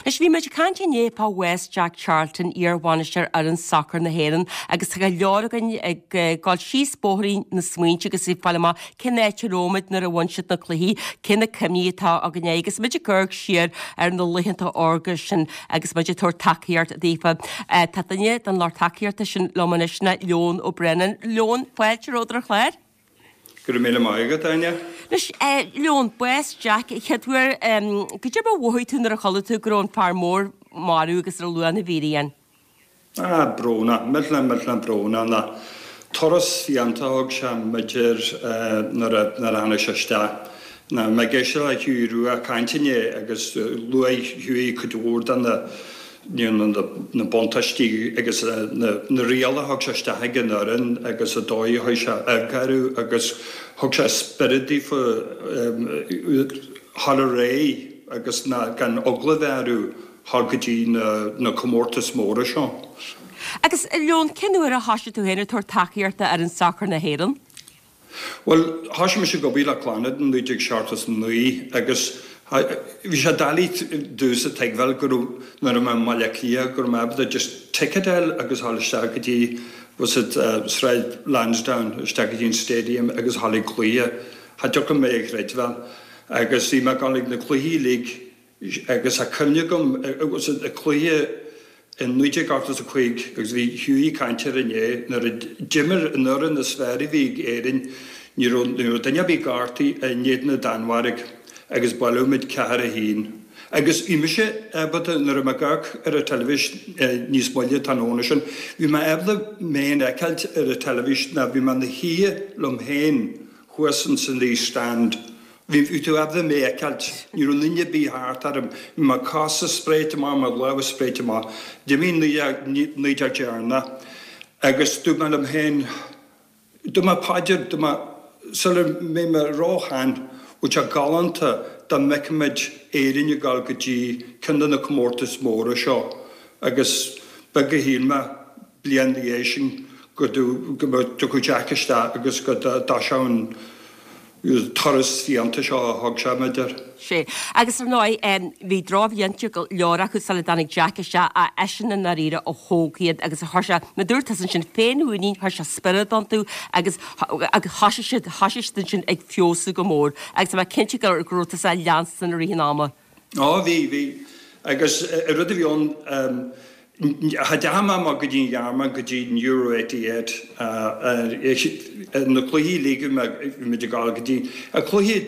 Anois bhí muid ag caint inné fá bhás Jack Charlton, iar-bhainisteoir fhoireann sacair na hÉireann agus tá go leor againn ag dul síos bóithrín na smaointe agus ag fáil amach cén áit a raibh muid nuair a bhain siad na cluichí, cé na cuimhní atá againn agus muid ag amharc siar ar na laethanta órga sin agus muid ag tabhairt tacaíocht daofa. Tá duine den lucht tacaíochta sin liom anois ná Leon Ó Braonáin. Leon, fáilte romhat ar an chlár. Go raibh míle maith agat, Áine. Anois, Leon, bás Jack, chéad uair, goidé mar a mhothaigh tú nuair a chuala tú go raibh an fear mór marbh agus ar a luath na bhfíréan? Ah, brónach, millteanach, millteanach brónach. Ná turas fiánta a thug sé b'fhéidir nuair a nuair a tháinig sé isteach. Ná mé ag éisteacht le Hughie Rua ag caint inné agus luaigh Hughie cuid mhór de na na buntáistí agus na rialacha a thug sé isteach ag an fhoireann agus an dóigh a chuir sé eagna orthu agus thug sé spiorad daofa dhul ar aghaidh agus gan eagla a bheith orthu dhul go dtí na comórtais móra seo. Agus Leon, cén uair a thoisigh tú féin ag tabhairt tacaíochta d'fhoireann sacair na hÉireann? Bhuel, thoisigh mise ag obair le Clannad in naoi déag seachtó is a naoi agus bhí sé doiligh domhsa tuigbheáil go raibh, nuair a bhí mé i mBaile Átha Cliath, go raibh mé ábalta just ticket a fháil agus dhul isteach go dtí, was it Sráid Lansdowne, isteach go dtí an stadium agus dhul ag cluiche. Cha dtiocfadh mé a chreidbheáil. Agus bhí mé ag dul ag na cluichí uilig agus tá cuimhne agam, was it, ag cluiche, In naoi déag ochtó is a cúig, agus bhí Hughie ag caint air inné, nuair a d'imir an fhoireann is fearr a bhí ag Éirinn, ní raibh ní raibh duine ar bith gortaithe in éadan na Danmhairge agus buaileadh muid ceathair a haon. Agus bhí mise ábalta, nuair a bhí mé ag amharc ar an teilifís níos moille tráthnóna sin, bhí mé ábalta mé féin a fheiceáilt ar an teilifís ná bhí mé ina shuí liom féin thuas ins an East Stand. Bhí tú ábalta mé a fheiceáilt. Ní raibh duine ar bith thart orm. Bhí mo chosa spréite amach, mo lámha spréite amach. D'imigh an naoi déag deireanach agus dúirt mé liom féin, dúirt mé paidir, dúirt mé, sula mbeidh mé róshean, bheadh sé galánta dá bhfeicfimid Éirinn ag dul go dtí ceann de na comórtais mhóra seo. Agus beag a shíl mé, bliain ina dhiaidh sin, go dtiocfadh Jack isteach agus go dtoiseodh an turas fiánta seo a thug sé, b'fhéidir. Sea. Agus ar ndóigh, bhí drochbhlianta go leor acu sula dtáinig Jack isteach, ach eisean i ndáiríre a thóg iad agus a chuir sé, mar a dúirt tusa ansin, féinmhuinín, chuir sé spiorad iontu agus agus thoisigh siad, thoisigh siad ansin ag feabhsú go mór. Agus tá mé cinnte go go raibh tusa á leanstan i rith an ama. Ó, bhí, bhí. Agus an rud a bhí ann, Cha dteachaigh mé amach go dtí an Ghearmáin go dtí an Euro eighty eight, na cluichí uilig bhí muid ag dul go dtí, an cluiche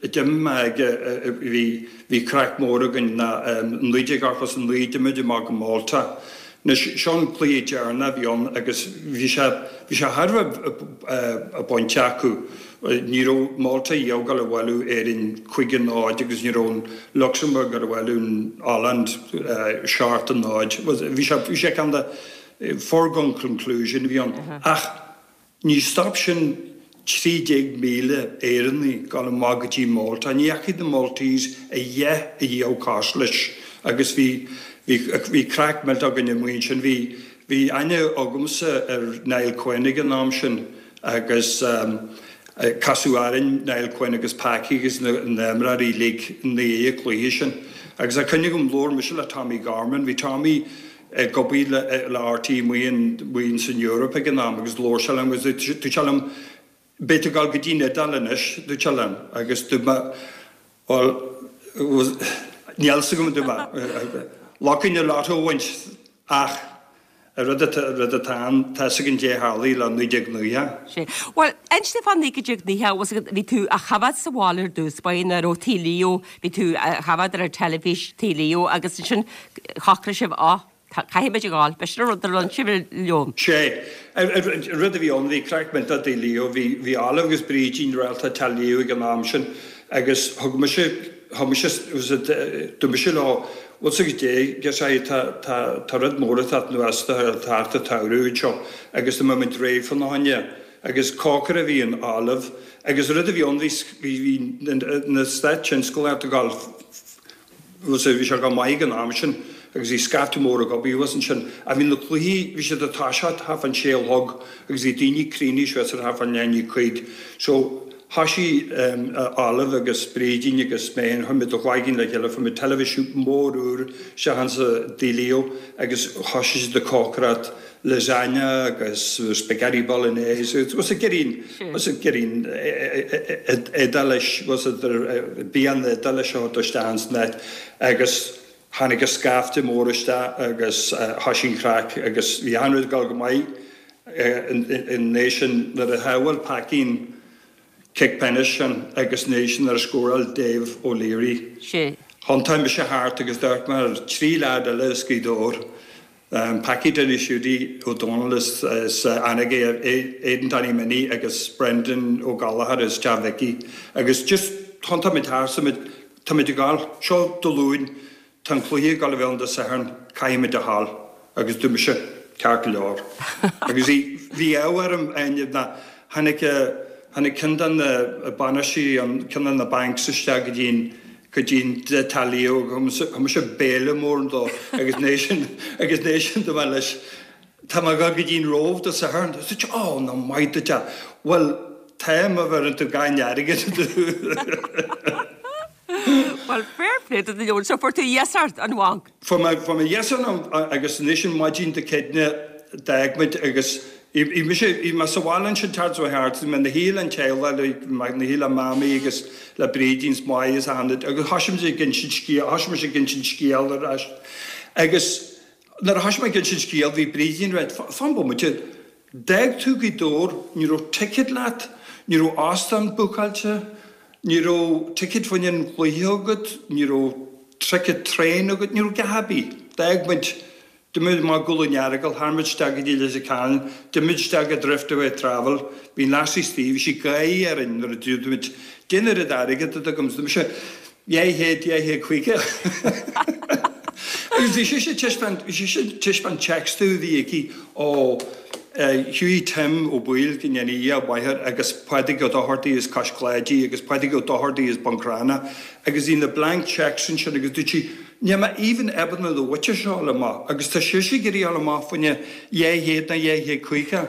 a d'imigh mé aige bhí bhí craic mór againn ná naoi déag ochtó is a naoi d'imigh muid amach go Malta. Anois seo an cluiche deireanach a bhí ann agus bhí sé bhí sé thar a bheith bainte acu. Ní raibh Malta a dhul a bhualadh Éirinn cúig a náid agus ní raibh an Lucsamburg ag bualadh an Ollainn seacht a náid. Bhí sé bhí sé ceann de foregone conclusion a bhí ann. Ach ní stop sin trí déag míle Éireannaigh dul amach go dtí Malta. Ní dheachaigh na Maltese a dhath a dhíol cosúil leis agus bhí bhí bhí craic millteach againn amuigh ansin. Bhí bhí aithne agamsa ar Niall Quinn ag an am sin. Agus casadh orainn Niall Quinn agus Packie agus na himreoirí uilig i ndiaidh an chluiche sin. Agus tá cuimhne agam, labhair mise le Tommy Gorman, bhí Tommy ag obair le RTÉ amuigh in san Eoraip ag an am agus labhair sé liom agus dúirt sé liom, beidh tú ag dul go dtí an Iodáil anois, dúirt sé liom agus dúirt mé, bhuel, níl 'fhios agam, dúirt mé, luck in the lotto a bhaint ach An rud atá ann, tá 'fhios againn caidé a tharlaigh le naoi déag nócha. Sea. Bhuel, inis domh fá naoi déag nócha, bhfuil 'fhios agat, bhí tú á choimhéad sa bhaile ar dtús, ba é nuair ó Tigh Leo, bhí tú á choimhéad ar an teilifís Tigh Leo agus ansin shocraigh sibh, á, Caithfidh muid a ghabháil, b'shin an rud a rinne sibh a Leon. Sé. Rud a bhí ann, bhí craic millteach i dTigh Leo, bhí bhí Olive agus Brídín réalta Teach Leo ag an am sin agus thug mise, thug mise, dúirt mise leo, bhfuil 's agat dé, guess I, tá tá tá rud mór atá anuas tá thart an tsamhradh anseo agus tá muid réidh fána choinne agus cócaire a bhí in Olive agus rud a bhí ann bhí bhí na Stáit tionsclaíocht ag dul Bhí sé go maith ag an am sin agus bhí scaifte mór ag obair thuas ansin. Ach bhí na cluichí, bhí siad ag toiseacht thart fán sé a chlog agus bhí daoine cruinnithe suas ar thart fán leath i ndiaidh a cúig. So thoisigh Olive agus Brídín agus mé féin, chuir muid a chloigeann le chéile, fuair muid teilifís mór úr isteach insa Tigh Leo agus thoisigh siad ag cócaireacht lasagna agus spaghetti bolognese was a girín was a girín Iodáilis was a bia na hIodáile a thabhairt isteach ins an áit agus tháinig an scaifte mór isteach agus thoisigh an chraic agus bhí achan rud ag dul go maith in éis sin nuair a shábháil Paicín cic pionóis sin agus in éis sin nuair a scóráil Dave O'Leary thiontaigh mise thart agus d'amharc mé ar trí leaid eile as Gaoth Dobhair Packie Dinny Siúdaí Ó Dónaill as Anagaire, Aidan Danny Minnie agus Brendan Ó Gallchóir as Teach Mhicí agus just thiontaigh muid thart so muid, tá muid ag gabháil, seo Dé Luain, tá an cluiche ag gabháil a bheith ann Dé Sathairn, caithfidh muid a ghabháil agus dúirt mise, ceart go leor. Agus bhí, bhí ádh orm, Áine, ná tháinig, tháinig ceann de na bainisteoirí an, ceann de na banks isteach go dtí an, go dtí an Teach Leo thug mise béile mór dó agus ina dhiaidh sin agus ina dhiaidh sin dúirt mé leis tá mé ag dul go dtí an Róimh Dé Sathairn dúirt sé ó ná maith duit é bhuel tá má bheireann tú gan airgead Bhuel fair play duit a Leon so fuair tú iasacht ón bhanc. Fuair mé fuair mé iasacht agus anois an maidin Dé Céadaoine d'fhág muid agus Bhí mise, bhí mé sa bhaile ansin thart ó thart, bhí mé ina shuí le'n teaghlach, bhí mé ina shuí le Mamaí agus le Brídín 's Máire is achan duine agus thoisigh muid ag insint scéal, thoisigh mise ag insint scéal ar ais agus nuair a thoisigh mé ag insint scéal bhí Brídín ag ráit, fan bomaite, d'fhág tú Gaoth Dobhair, ní raibh ticket leat, ní raibh óstán bookáilte, ní raibh ticket fá choinne an chluiche agat, ní raibh ticket traein agat, ní raibh a dhath ar bith, d'fhág muid D'imigh muid amach go Dún Earagail, tharraing muid isteach go dtí Leitir Ceanainn, d'imigh muid isteach go Driftaway Travel, bhí an lassie istigh, bhí sí ag gáire orainn nuair a dúirt muid, Dé an oiread airgead atá agam, dúirt mise, dhá chéad, dhá chéad caoga. Agus bhí sise ag taispeáint, bhí sise ag taispeáint checks domh a bhí aici ó Hughie Tim Ó Baoill go ndéana Dia a mhaith air agus Pádraig Ó Dochartaigh as Cois Cláidí agus Pádraig Ó Dochartaigh as Bun Cranncha agus bhí na blank checks ansin agus dúirt sí, Níl mé even ábalta na bhfuite seo a fháil amach agus tá sise ag iarraidh a fháil amach fá choinne dhá chéad nó dhá chéad caoga.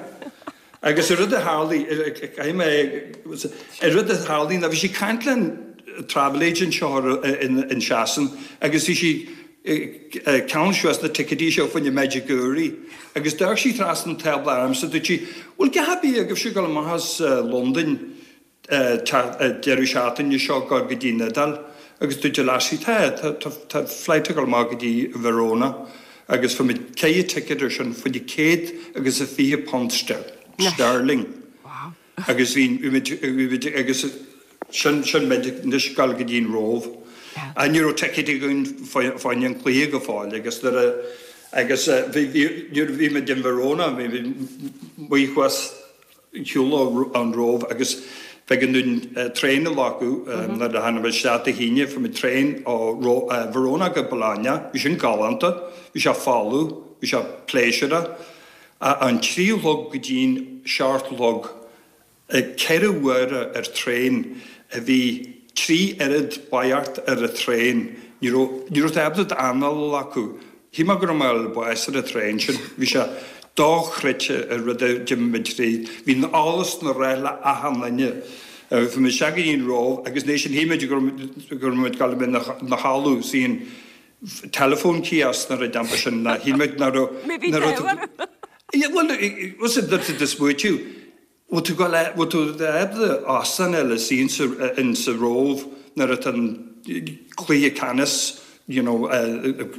Agus an rud a tharlaigh, caithfidh mé, an rud a tharlaigh ná bhí sí ag caint le an travel agent seo in Sasain agus bhí sí ag ceannach suas na ticéidí seo fá choinne Medjugorje agus d'amharc sí trasna an tábla ormsa dúirt sí, bhfuil a dhath ar bith agaibhse ag dul amach as Londain deireadh seachtaine seo go go dtí an Iodáil agus dúirt an lassie tá, tá, tá, tá flight ag dul amach go dtí Verona agus fuair muid ceithre ticket ar sin fá choinne céad agus a fiche punt sterling agus bhí, bhí muid, bhí muid agus sin, sin muid anois ag dul go dtí an Róimh. Ach ní raibh ticket againn fá choinne an cluiche go fóill agus nuair a, agus bhí, bhí, nuair a bhí muid in Verona bhí muid amuigh thuas shiúl ón Róimh agus b'éigean dúinn traein a ghlacadh nuair a tháinig muid isteach Dé hAoine, fuair muid traein ó Verona go Bologna, bhí sin galánta, bhí sé folamh, bhí sé pléisiúrtha. An trí a chlog go dtí'n seacht a chlog, ceithre huaire ar traein a bhí trí oiread boicheacht ar an traein, ní raibh, ní raibh tú ábalta d'anáil a ghlacadh. Shíl mé go raibh mé ag fáil bháis ar an traein sin. Bhí sé dochreidte an rud a d'imigh muid tríd. Bhí an allas na rá le achan duine. Bhí muid isteach go dtí an Róimh agus ansin shíl muid go raibh muid ag dul a bheith ina chodladh sa telephone kiosk nó rud inteacht sin ná shíl muid nach raibh Maybe nach raibh Bhuel, was it that the smaoitiú Bhfuil tú ag dul, bhfuil tú ábalta óstán a fháil istigh in sa Róimh nuair atá an cluiche ceannais you know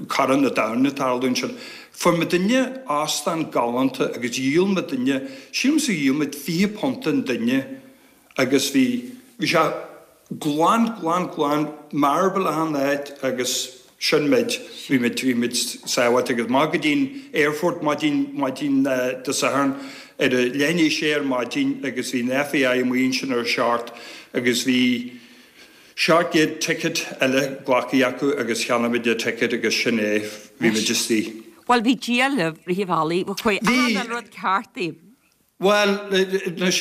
Corn an Domhain ag tarlú ansin. Fuair muidinne óstán galánta agus dhíol muidinne, sílimse dhíol muid fiche punt an duine agus bhí, bhí sé glan, glan, glan, marble achan áit agus sin muid, bhí muid, bhí muid sábháilte agus amach go dtí'n aerfort maidin, maidin Dé Sathairn ar a leath i ndiaidh a sé ar maidin agus bhí an FAI amuigh ansin ar a seacht agus bhí seacht gcéad ticket eile glactha acu agus cheannaigh muid an ticket agus sin é, bhí muid istigh. Bhuel bhí Dia libh rith an bhealaigh, chuaigh achan rud ceart daoibh. Bhuel, anois,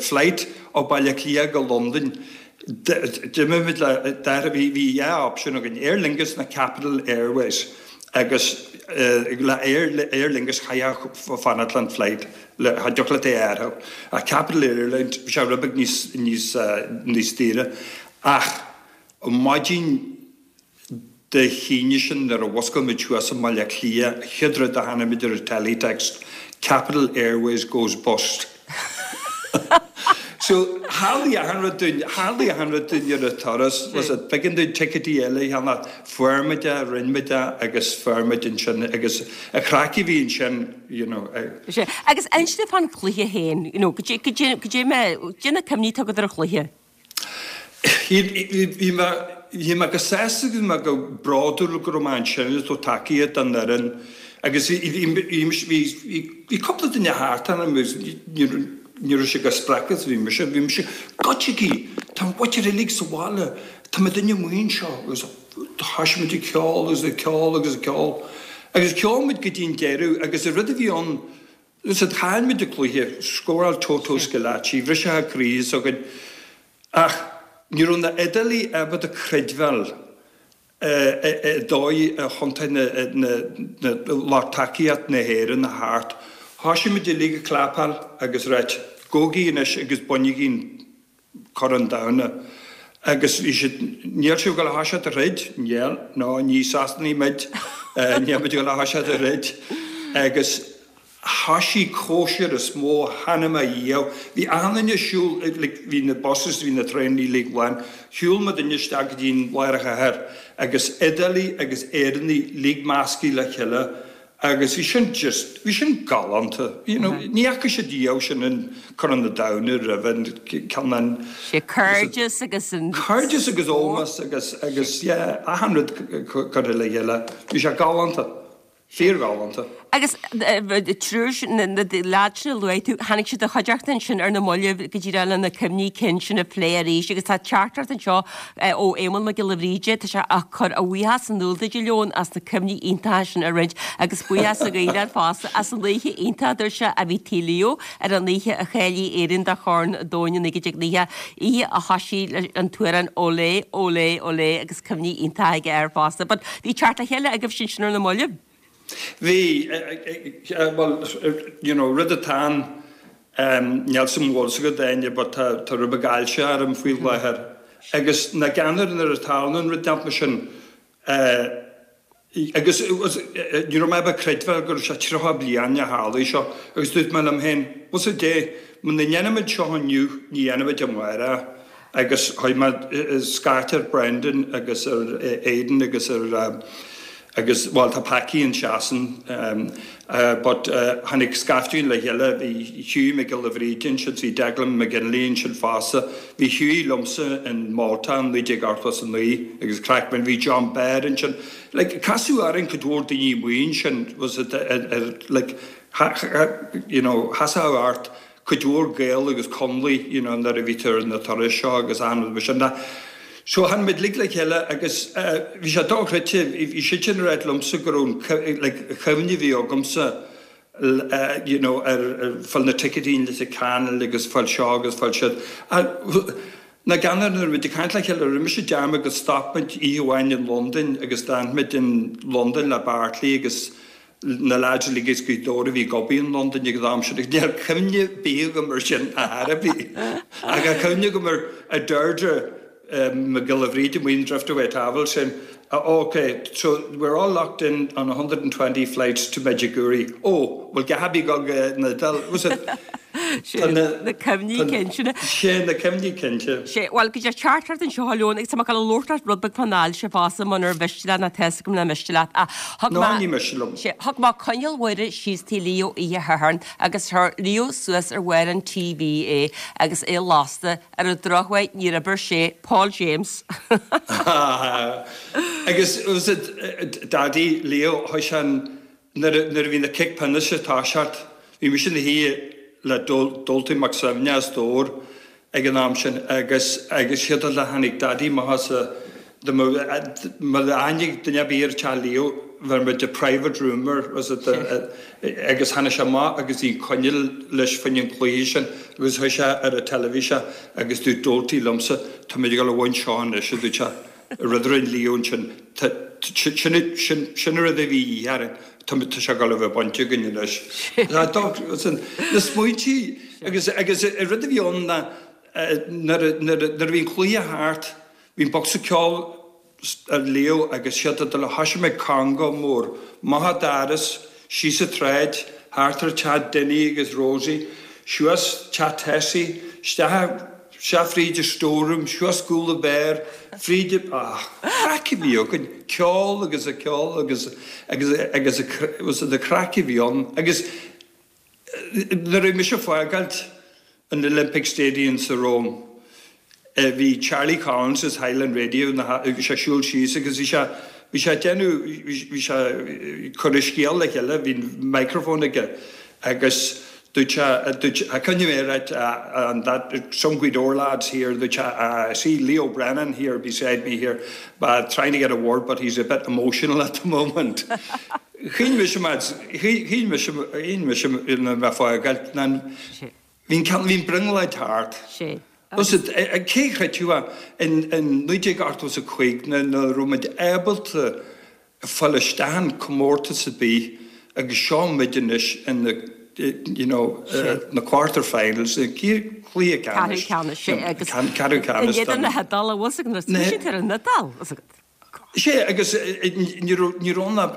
flight ó Baile Átha Cliath go Londain, d'imigh muid le, bhí bhí dhá option againn, Aer Lingus nó Capital Airways agus le Aer Lingus chaithfeá fanacht le an flight, cha dtiocfadh leat é a athrú. Ach Capital Airlines, bhí sé rud beag níos, níos, níos daoire. Ach maidin Dé hAoine sin nuair a mhuscail muid thuas i mBaile Átha Cliath, an chéad rud a chonaic muid ar an teletext, Capital Airways goes bust. So, tharlaigh achan rud dúinn, tharlaigh achan rud dúinn ar an turas, was it, b'éigean dúinn ticéidí eile a cheannach, fuair muid é, rinne muid é agus fuair muid ansin agus an chraic a bhí ansin, you know. Sea, agus inis dom fán chluiche féin, you know, goidé, goidé, goidé mé, goidé na cuimhní atá agat ar an chluiche? Bhí mé bhí mé go sásta agus bhí mé go bródúil go raibh mé ansin ag tabhairt tacaíocht don fhoireann agus bhí bhí bhí bhí bhí cúpla duine thart orm agus ní ní raibh sé chomh spreagtha is a bhí mise. Bhí mise, Goitsigí! Tá an mhuintir uilig sa bhaile! Tá muidinne amuigh anseo! Agus thoisigh muid ag ceol agus ag ceol agus ag ceol agus cheol muid go dtí an deireadh agus an rud a bhí ann is chaill muid an cluiche, scóráil Toto Schillaci, bhriseadh croí s'againn. Ach ní raibh na Iodálaigh ábalta creidbheáil i dóigh a thiontaigh na lucht tacaíocht na hÉireann a theacht. Thoisigh muid uilig ag clapáil agus ráit, Gabhaigí anois agus bainigí an Corn Domhanda. Agus bhí siad, níl sibh ag dul a thoiseacht a throid? Níl, no, ní Sasanaigh muid, níl muid ag dul a thoiseacht a throid. Agus Thoisigh cóisir is mó a chonaic mé riamh. Bhí achan duine ag siúl, like, bhí na buses, bhí na traenaí uilig lán. Shiúil muidinne isteach go dtí an lár an chathair agus Iodálaigh agus Éireannaigh uilig measctha le chéile agus bhí sin just, bhí sin galánta. You know, ní fhaca siad riamh sin in Corn an Domhain roimhe an ceann an. Sé cairdeas agus an. Cairdeas agus ómós agus, agus yeah, achan rud curtha le chéile. Bhí sé galánta. Fíorghalánta. Agus triúr sin, na leaids sin a luaigh tú, tháinig siad i do chuideachta ansin ar na mallaibh go díreach le na cuimhní cinn sin a phlé arís agus tá teachtaireacht anseo ó Éamonn Mac Giolla Bhríde, tá sé ag cur a bhuíochas in iúl duit a Leoin as na cuimhní iontacha sin a roinnt agus buíochas a ghabháil fosta as an oíche iontach a dúirt sé a bhí Tigh Leo ar an oíche a cháiligh Éirinn do Chorn an Domhain i naoi déag nócha, oíche a thoisigh leis an t-amhrán Olé, Olé, Olé agus cuimhní iontacha aige air fosta. But bhí teacht le chéile agaibh ansin ar na mallaibh. Bhí, bhuel, you know, rud atá ann, níl 'fhios a'm an bhfuil 'fhios agat Áine, but tá, tá rud beag ailse orm faoi láthair. Agus nach ionadh nuair a tharlaíonn an rud inteacht mar sin, agus ní raibh mé ábalta creidbheáil go raibh sé tríocha bliain a tharlaigh seo, agus dúirt mé liom féin, bhfuil 'fhios a'd dé, muna ndéanaimid seo inniu, ní dhéanfaimid amárach. Agus chuaigh mé scairt ar Brendan agus ar Aidan agus ar agus bhuel tá Packy in Sasain but tháinig scaifte againn le chéile, bhí Hughie Mac Giolla Bhríde ansin, bhí Declan McGinley ansin fosta, bhí Hughie liomsa in Malta in naoi déag ochtó is a naoi agus craic, bhí John Baird ansin. Like casadh orainn cuid mhór daoine amuigh ansin was it like you know sheasfadh ort cuid mhór Gael agus Conallaigh you know nuair a bhí tú ar na turais seo agus achan rud mar sin de. So tháinig muid uilig le chéile agus bhí sé dochreidte, bhí siadsan ag ráit liomsa go raibh an like chuimhne a bhí agamsa you know ar fáil na ticéidí in Leitir Ceanainn agus fáil seo agus fáil siúd. Nach ionadh nuair a bhí muid ag caint le chéile, rinne mise dearmad go stop muid oíche amháin in Londain agus d'fhan muid in Londain le Bartley agus na leaids uilig as Gaoth Dobhair a bhí ag obair in Londain ag an am sin agus níl cuimhne ar bith agam ar sin ar chor ar bith. Ach tá cuimhne agam ar ar Deirdre Mac Giolla Bhríde amuigh in Driftaway Travel saying oh ok so we're all locked in on a hundred and twenty flights to Medjugorje oh well gabby go na was it Sé na cuimhní cinn sin. Sé na cuimhní cinnte. Sé, bhuel, go dtí teachtaireacht anseo a Leoin agus tá mé ag dul a labhairt leat rud beag fán ailse fosta munar mhiste leat nó tá 'fhios agam nach miste leat ach thug Ná mé ní miste liom. Sé, thug mé coinneal Mhuire síos Tigh Leo oíche Shathairn agus chuir Leo suas ar bharr an TV é agus é lasta ar an drochuair níor oibir sé Paul James. Agus was it Daddy Leo chuaigh sé an nuair a bhí na cic pionóis ag toiseacht, bhí mise ina shuí le Doalty Mac Suibhne as Dobhar ag an am sin agus agus siad le tháinig Daddy amach as a má tháinig duine ar bith ar teach Leo bheir muid a private room air was it agus tháinig sé amach agus bhí coinneal leis fá choinne an cluiche sin agus chuaigh sé ar an teilifís agus dúirt Doalty liomsa tá muid ag dul a bhaint seo anois a dúirt sé. Rud a rinne Leo ansin sin an rud a bhí de dhíth orainn tá sé ag dul a bheith bainte againn anois. Na smaointí agus agus an rud a bhí ann ná nuair a bhí an cluiche thart bhí an bocsa ceoil ar Leo agus siad ag dul a thoisigh mé conga mór amach an doras síos an tsráid thart ar teach Dinny agus Rosie suas teach Tessie isteach isteach fríd an storeroom, suas Gúla Béar, fríd an, ah, craic a bhí againn, ceol agus a ceol agus, agus, agus a, was it the craic a bhí ann agus nuair a bhí mise ag fágáilt an Olympic Stadium sa Rome, bhí Charlie Collins as Highland Radio na, bhí sé ag siúl síos agus bhí sé, bhí sé ag déanamh, bhí sé ag cur a scéal le chéile, bhí microphone aige agus dúirt sé, dúirt, I couldn't hear it, uh, and that, some Gweedore lads here, dúirt sé, uh, I see Leo Brennan here beside me here, but trying to get a word, but he's a bit emotional at the moment. Chaoin mise mar, chaoin mise, chaoin mise ina mbeith fágáil, bhí an brionglóid thart. Sé. Cé chreidfeadh in naoi déag ochtó is a cúig nach raibh muid ábalta fáil isteach in comórtas ar bith agus seo muid anois in na you know, na quarter finals, cluiche ceannais. Ceathrú ceannais, sé, agus Ceathrú ceannais. In éadan na hIodáile, bhfuil fhios agat, nuair a siad ar an Iodáil, fhios agat. Sé, agus ní raibh ann ach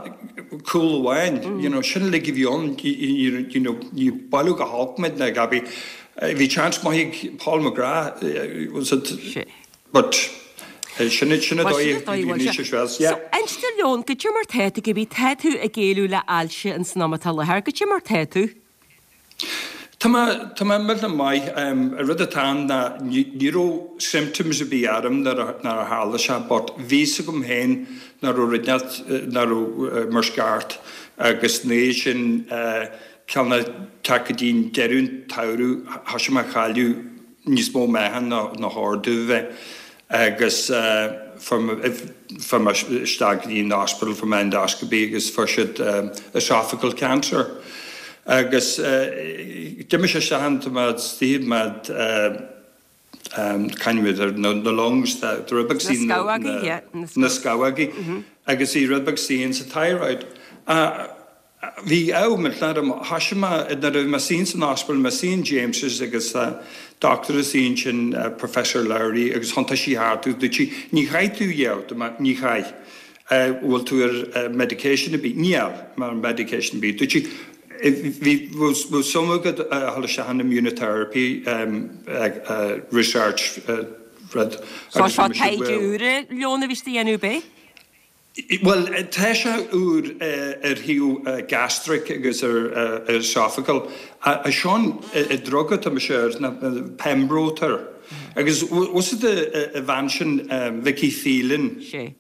cúl amháin, you know, sin uilig a bhí ann, you know, ní bailiú go holc muid na Gabi. Bhí chance maith ag Paul McGrath, was it? Sé. But sin sin a dóigh a bhí níos as well. So, inis dúinn, goidé mar tá tú, go tá tú ag géilleadh le ailse an san am atá i láthair, goidé mar tá tú? Tá mé tá mé millteanach maith. An rud atá ann ná ní raibh symptoms ar bith orm nuair a nuair a tharla sé but bhí fhios agam féin nach raibh rud nach raibh mar is ceart agus ina dhiaidh sin ceann teacht go dtí an deireadh an tsamhraidh thoisigh mé a chailleadh níos mó meáchan ná ná chóir domh bheith agus fuair mé isteach go dtí an hospital fuair mé endoscopy agus fuair siad esophageal cancer. Agus d'imigh sé isteach ann, tá mé istigh mé caint ar na lungs, tá rud beag Na scamhógaí, yeah. Na scamhógaí agus bhí rud beag istigh sa thyroid. Bhí ádh millteanach orm, thoisigh mé, nuair a bhí mé istigh san ospidéal, mé istigh in James's agus doctor istigh ansin, Professor Lowry, agus thiontaigh sí thart agus dúirt sí, ní chaithfidh tú a dhéanamh, ní chaith. Bhfuil tú ar medication ar bith? Níl mé ar medication ar bith. Dúirt sí, bhí, bhfuil suim agat a dhul isteach in immunotherapy research rud. So seo taighde úr a Leon a bhí tú a dhéanamh ab ea? Bhuel, tá sé úr ar thaobh gastric agus ar esophageal. Seo an drug atá mise air, ná Pembro atá air. Agus bhfuil fhios agat an bhean sin Vicky Phelan? Sé.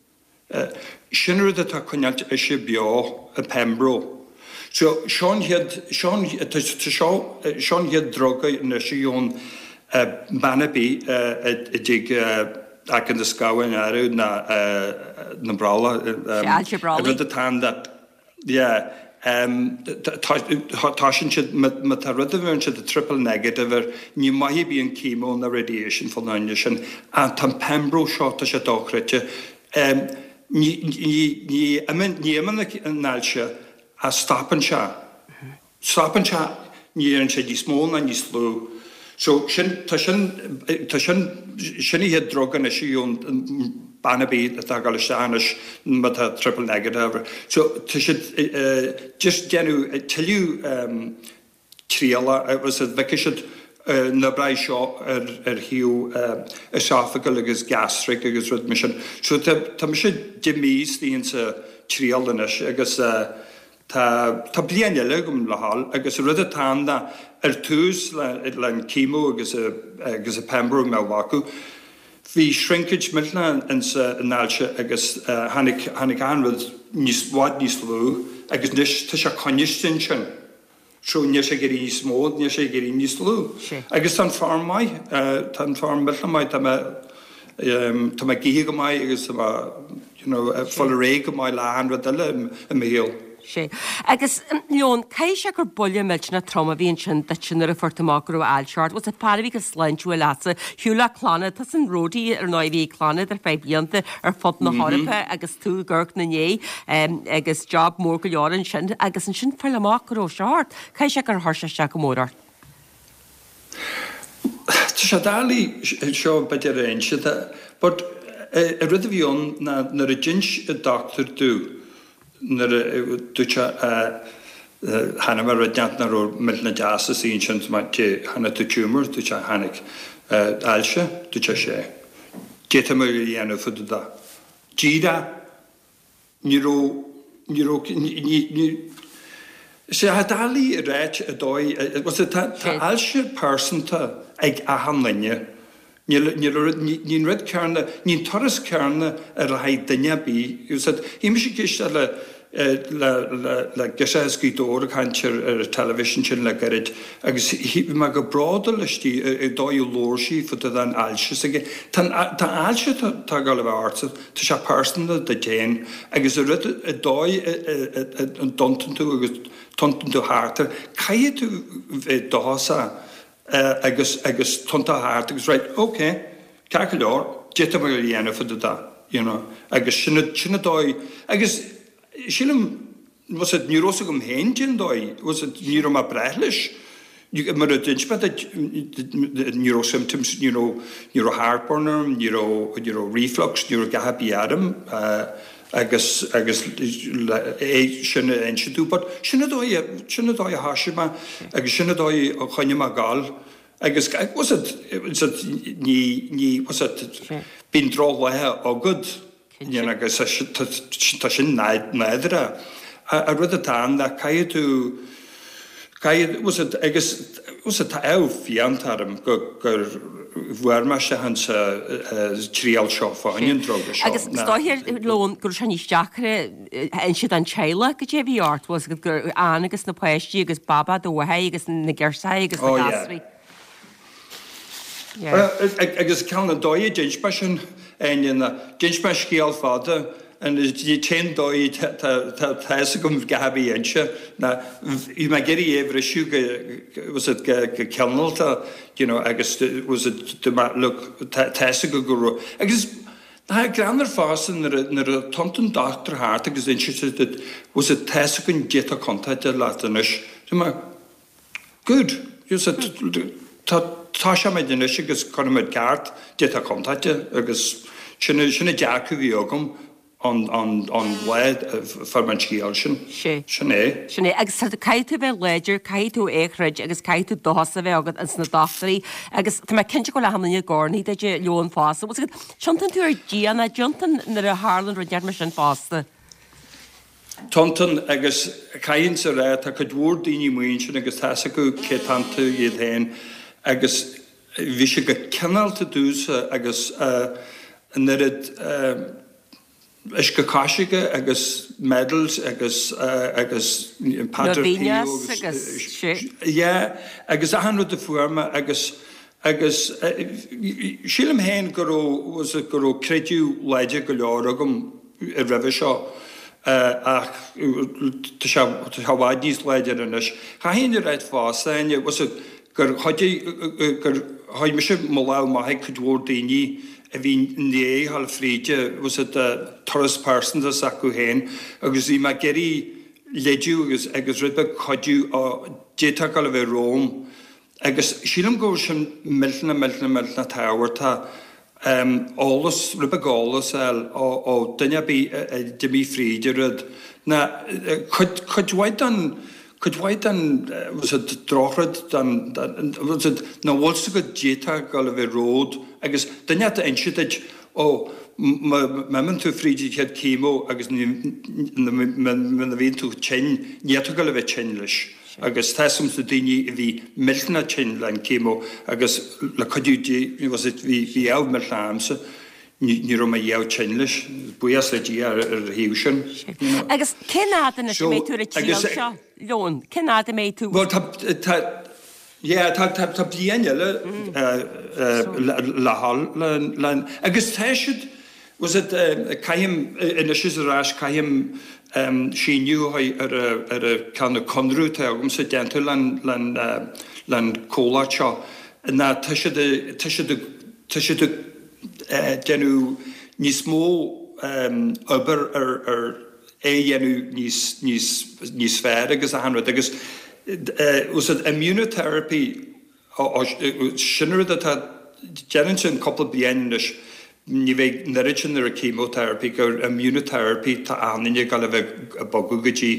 Sin rud atá ag coinneáilt ise beo, an Pembro. So, seo an chéad, seo an, tá seo, seo an chéad druga anois a gheobhann bean ar bith a dtig aice na scamháin áirithe ná na brolla. Sé, ailse brollaigh. An rud atá ann that, yeah, tá sin siad, má tá rud a bheireann siad triple negative air, ní maith ar bith an chemo ná radiation fá choinne sin. Ach tá an Pembro seo, tá sé dochreidte. Ní, ní, ní imíonn an ailse ach stopann sé. Stopann sé, ní éiríonn sé níos mó ná níos lú. So sin, tá sin, tá sin, sin an chéad drug anois a gheobhann bean ar bith atá ag dul isteach anois má tá triple negative. So tá siad just déanamh tuilleadh triala agus an bhfeicfidh siad an oibreoidh seo ar ar thaobh esophageal agus gastric agus rud mar sin. So tá tá mise deich mí istigh insa triail anois agus tá tá bliain eile agam le dhul agus an rud atá ann ná ar tús le le an chemo agus a agus a pembro mé a ghlacadh Bhí shrinkage millteanach insa an ailse agus tháinig tháinig an rud níos bhfad níos lú agus anois tá sé coinniste ansin. So níl sé ag éirí níos mó, níl sé ag éirí níos lú. Agus tá an form maith, tá an form millteanach maith, tá mé tá mé ag ithe go maith agus tá mé you know ag fáil ar aghaidh go maith le achan rud eile i mo shaol. Sea. Agus, Leon, caithfidh sé gur buille millteanach trom a bhí ansin duitse nuair a fuair tú amach go raibh ailse ort. Bhuel, fear a bhí go sláintiúil leatsa, shiúil le Clannad, tusa an roadie ar ndóigh a bhí ag Clannad ar feadh blianta ar fud na hEorpa agus tú ag amharc ina ndiaidh agus job mór go leor ansin agus ansin fáil amach go raibh seo ort. Caithfidh sé gur chuir sé isteach go mór ort. Tá sé doiligh seo b'fhéidir a inse but an rud a bhí ann ná nuair a d'inis an dochtúir domh nuair a dúirt sé chonaic mé rud inteacht nach raibh millteanach deas istigh ansin chonaic tú tumour dúirt sé chonaic ailse dúirt sé sea cad tá muid a dhéanamh fá dtaobh de díreach ní raibh ní raibh ní ní Sea, doiligh a ráit an dóigh, tá tá ailse pearsanta ag achan duine. Níl níl ní an rud céanna, ní an turas céanna ar le haghaidh duine ar bith. Bhí mise ag éisteacht le le le le girseach as Gaoth Dobhair ag caint ar ar an teilifís ansin le gairid agus bhí mé go bródúil aisti an dóigh a labhair sí fá dtaobh den ailse s'aige. Tá an tá ailse atá ag dul a bheith ortsa, tá sé pearsanta duit féin agus an rud an dóigh a dtiontaíonn tú agus tiontaíonn tú thart air, caithfidh tú bheith dóchasach agus agus tiontú thart agus right, ok, ceart go leor, d'fhéadfadh mé a dhéanamh fá dtaobh de, you know, agus sin sin an dóigh agus sílim, was it, ní raibh fhios agam féin cén dóigh, was it, ní raibh mé breá leis, mar a d'inis mé duit, ní raibh symptoms, ní raibh, ní raibh heartburn orm, ní raibh, ní raibh reflux, ní raibh a dhath ar bith orm agus, agus é sin a inse domh. But sin an dóigh, sin an dóigh a thoisigh mé agus sin an dóigh a choinnigh mé ag gabháil agus, was it, was it, ní, ní, was it, bíonn drochlaetha agat. You know, agus tá sin nádúrtha. An rud atá ann ná caithfidh tú, caithfidh, was it, agus was it, tá ádh fiánta orm go, gur bhfuair mé isteach insa triail seo fá choinne an druga seo. Agus is dóiche, Leon, go raibh sé níos deacra inse don teaghlach goidé a bhí ort, was it, gur Ann agus na páistí agus Baba do mháthair agus na girseachaí agus na Oh yeah. gasraí. Yeah. Agus ceann an dóigh a d'inis mé sin, Áine, ná d'inis mé scéal fada an t-aon dóigh tá a fhios agam a dhath ar bith a inse ná bhí mé ag iarraidh é a bhriseadh go was it go go cineálta you know agus was it do mé look tá a fhios agam go raibh agus tá greannmhar fosta nuair a nuair a tiontaíonn dochtúir thart agus insíonn sé duit was it tá a fhios againn goidé atá contúirteach leat anois. Dúirt mé Good. Yes, tá toiseoimid anois agus cuirfimid ceart goidé atá contúirteach agus sin sin an dearcadh a bhí agam an an an lá a fuair mé an scéal sin. Sé. Sin é. Sin é. Agus caithfidh tú bheith láidir, caithfidh tú é a throid agus caithfidh tú dóchas a bheith agat ins na dochtúirí agus tá mé cinnte go bhfuil achan duine ag urnaí duit a Leon fosta. Bhfuil 's agat, tiontaíonn tú ar Dhia nach dtiontaíonn nuair a tharlann rud inteacht mar sin fosta. Tiontaíonn agus caithfinnse a rá, tá cuid mhór daoine amuigh ansin agus tá fhios acu cé atá iontu iad féin agus bhí sé go cineálta domhsa agus an oiread uisce coisricthe agus medals agus agus Padre Pio agus yeah agus achan rud a fuair mé agus agus sílim féin go raibh go raibh creideamh láidir go leor agam roimhe seo ach tá sé i bhfad níos láidre anois. Chaithfinn a ráit fosta, Áine, was it, gur chuidigh, gur chuir mise mo lámh amach ag cuid mhór daoine a bhí i ndiaidh a ghabháil fríde, was it, turas pearsanta s'acu féin agus bhí mé ag iarraidh leidiú agus agus rud beag cuidiú d'fhéadfadh a ghabháil a bheith romham. Agus sílim go bhfuil sin millteanach, millteanach, millteanach tábhachtach, eolas, rud beag eolas a fháil ó duine ar bith a d'imigh fríd an rud. Ná cuid, cuid mhaith den, cuid mhaith den, was it, drochrud, den, den, was it, nach bhfuil 's agat d'fhéadfadh a ghabháil a bheith romhat agus duine ata inse duit, ó, má imíonn tú fríd an chéad chemo agus muna bhíonn tú tinn, ní fhéadfá a ghabháil a bheith tinn leis. Agus tá some na daoine a bhí millteanach tinn le an chemo agus le cuidiú Dé was it bhí bhí fhadhb millteanach a'msa ní ní raibh mé dheabh tinn leis, buíochas le Dia ar ar a thaobh sin, you know. Agus cén fhad anois a So mbeidh tú ar an agus triail seo, Leon? Cén fhad a mbeidh tú? Bhuel tá tá yeah tá tá tá bliain eile le le dhul le le agus tá siad was it caithim anois is ar ais caithim síniú a ar a ar a ceann na conradh atá agamsa déanta le le le an comhlacht seo ná tá siad tá siad tá siad ag déanamh níos mó obair ar ar é a dhéanamh níos níos níos fearr agus achan rud agus was it immunotherapy sin rud atá déanann sin cúpla bliain anois ní bheidh an oiread sin ar an chemotherapy gur immunotherapy tá achan duine ag dul a bheith ag bogadh go dtí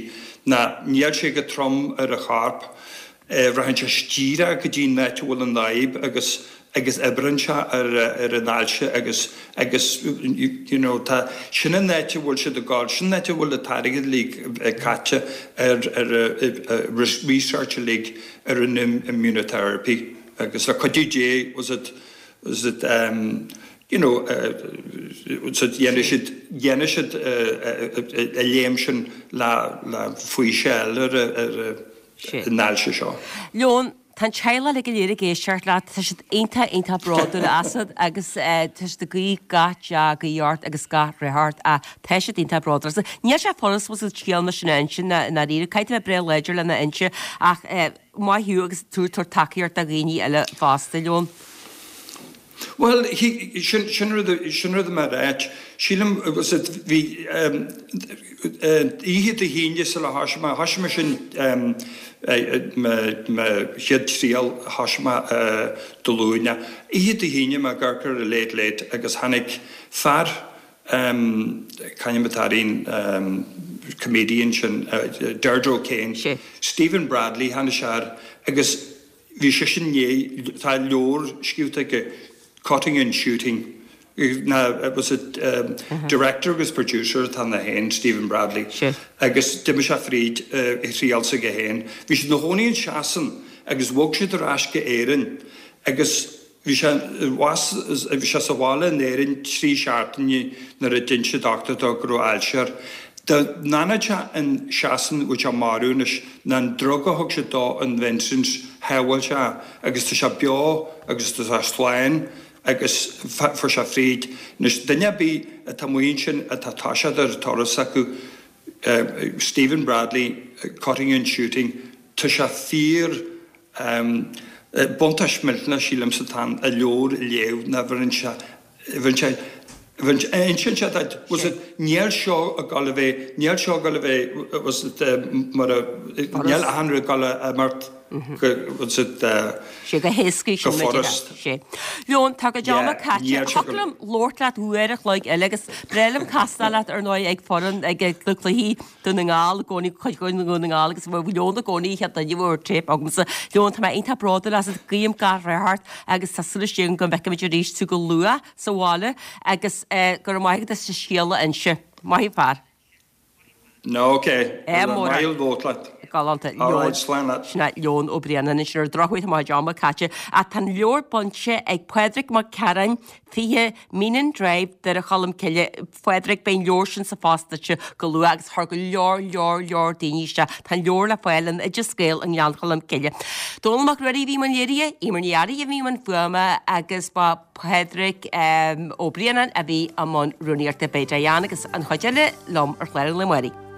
ná níl sé go trom ar an chorp rachann sé díreach go dtí an áit a bhfuil an fhadhb agus agus oibríonn sé ar ar an ailse agus agus you know tá sin an áit a bhfuil siad ag dul sin an áit a bhfuil an t-airgead uilig caite ar ar research uilig ar an immunotherapy agus le cuidiú Dé was it was it um, you know so dhéanfaidh siad dhéanfaidh siad a léim sin le le faoiseamh ar ar an ailse seo. Leon, tá an teaghlach uilig go léir ag éisteacht leat, tá siad iontach iontach bródúil asat agus tá siad ag guí gach dea-ghuí ort agus gach rath ort ach tá siad iontach bródúil asat. Níl sé furast bhfuil scéal mar sin a inse i ndáiríre, caithfidh tú a bheith breá láidir lena inse ach maith thú agus tú ag tabhairt tacaíocht do dhaoine eile fosta, Leon. Bhuel, sin sin rud sin rud mar áit. Sílim was it bhí oíche Dé hAoine sula thoisigh mé thoisigh mé sin mo mo chéad triail thoisigh mé Dé Luain. Oíche Dé hAoine mé ag amharc ar an Late Late agus tháinig fear c'ainm atá air an comedian sin Deirdre O'Kane, Stephen Bradley tháinig sé air agus bhí seisean i ndiaidh tá leabhar scríofa aige Cutting and Shooting ná was it um, director agus producer atá ann féin Stephen Bradley agus d'imigh sé fríd uh, thriail s'aige féin. Bhí siad ina chónaí in Sasain agus bhog siad ar ais go Éirinn agus bhí sé bhí sé sa bhaile in Éirinn trí seachtaine nuair a d'inis an dochtúir dó go raibh ailse air. Dá bhfanfadh sé in Sasain bheadh sé marbh anois ná an drug a thug siad dó in Vincent's shábháil sé agus tá sé beo agus tá sé slán agus fuair sé fríd. Anois duine ar bith atá amuigh ansin atá toiseacht ar turas acu Stephen Bradley, Cutting and Shooting, tá sé fíor buntáiste millteanach sílimse atá ann a leabhar a léamh ná bheireann sé bheireann sé insíonn sé duit was it níl seo ag dul a bheith níl seo ag dul a bheith was it mar a níl achan rud ag dul a imeacht go was it Sé go héasca go sin furast. Sé. Leon tá go Yeah, deama caite níl sé Thiocfadh go liom labhairt leat uair a chloig eile agus breá liom castáil leat ar ndóigh ag foireann ag na cluichí Dún na nGall i gcónaí cuid Dún na nGall agus bhí Leon i gcónaí chéad duine a bhfuair téip agamsa. Leon tá mé iontach bródúil asat guím gach rath ort agus tá súil agam go bhfeicfimid arís tú go luath sa bhaile agus go raibh maith agat as an scéal a inse. Maith fear. No, okay. É mór. Maith labhairt leat. Galánta All right, slán leat. Sin é Leon Ó Braonáin anois ar drochuair tá mo chuid ama caite ach tá an leabhar bainte ag Pádraig Mac Cearáin fiche Meenan Drive Doire Cholm Cille Phádraig beidh an leabhar sin sa phost duitse go luath agus chuir go leor leor leor daoine isteach tá an leabhar le fáil in Oideas Gael i nGleann Cholm Cille. Dónall Mac Ruairí a bhí i mbun léirithe, Eimear Ní Fhearraigh a bhí i mbun fuaime agus ba Pádraig um, Ó Braonáin a bhí i mbun rúnaíochta beidh Diane agus an chuid eile liom ar chlár an lae amárach.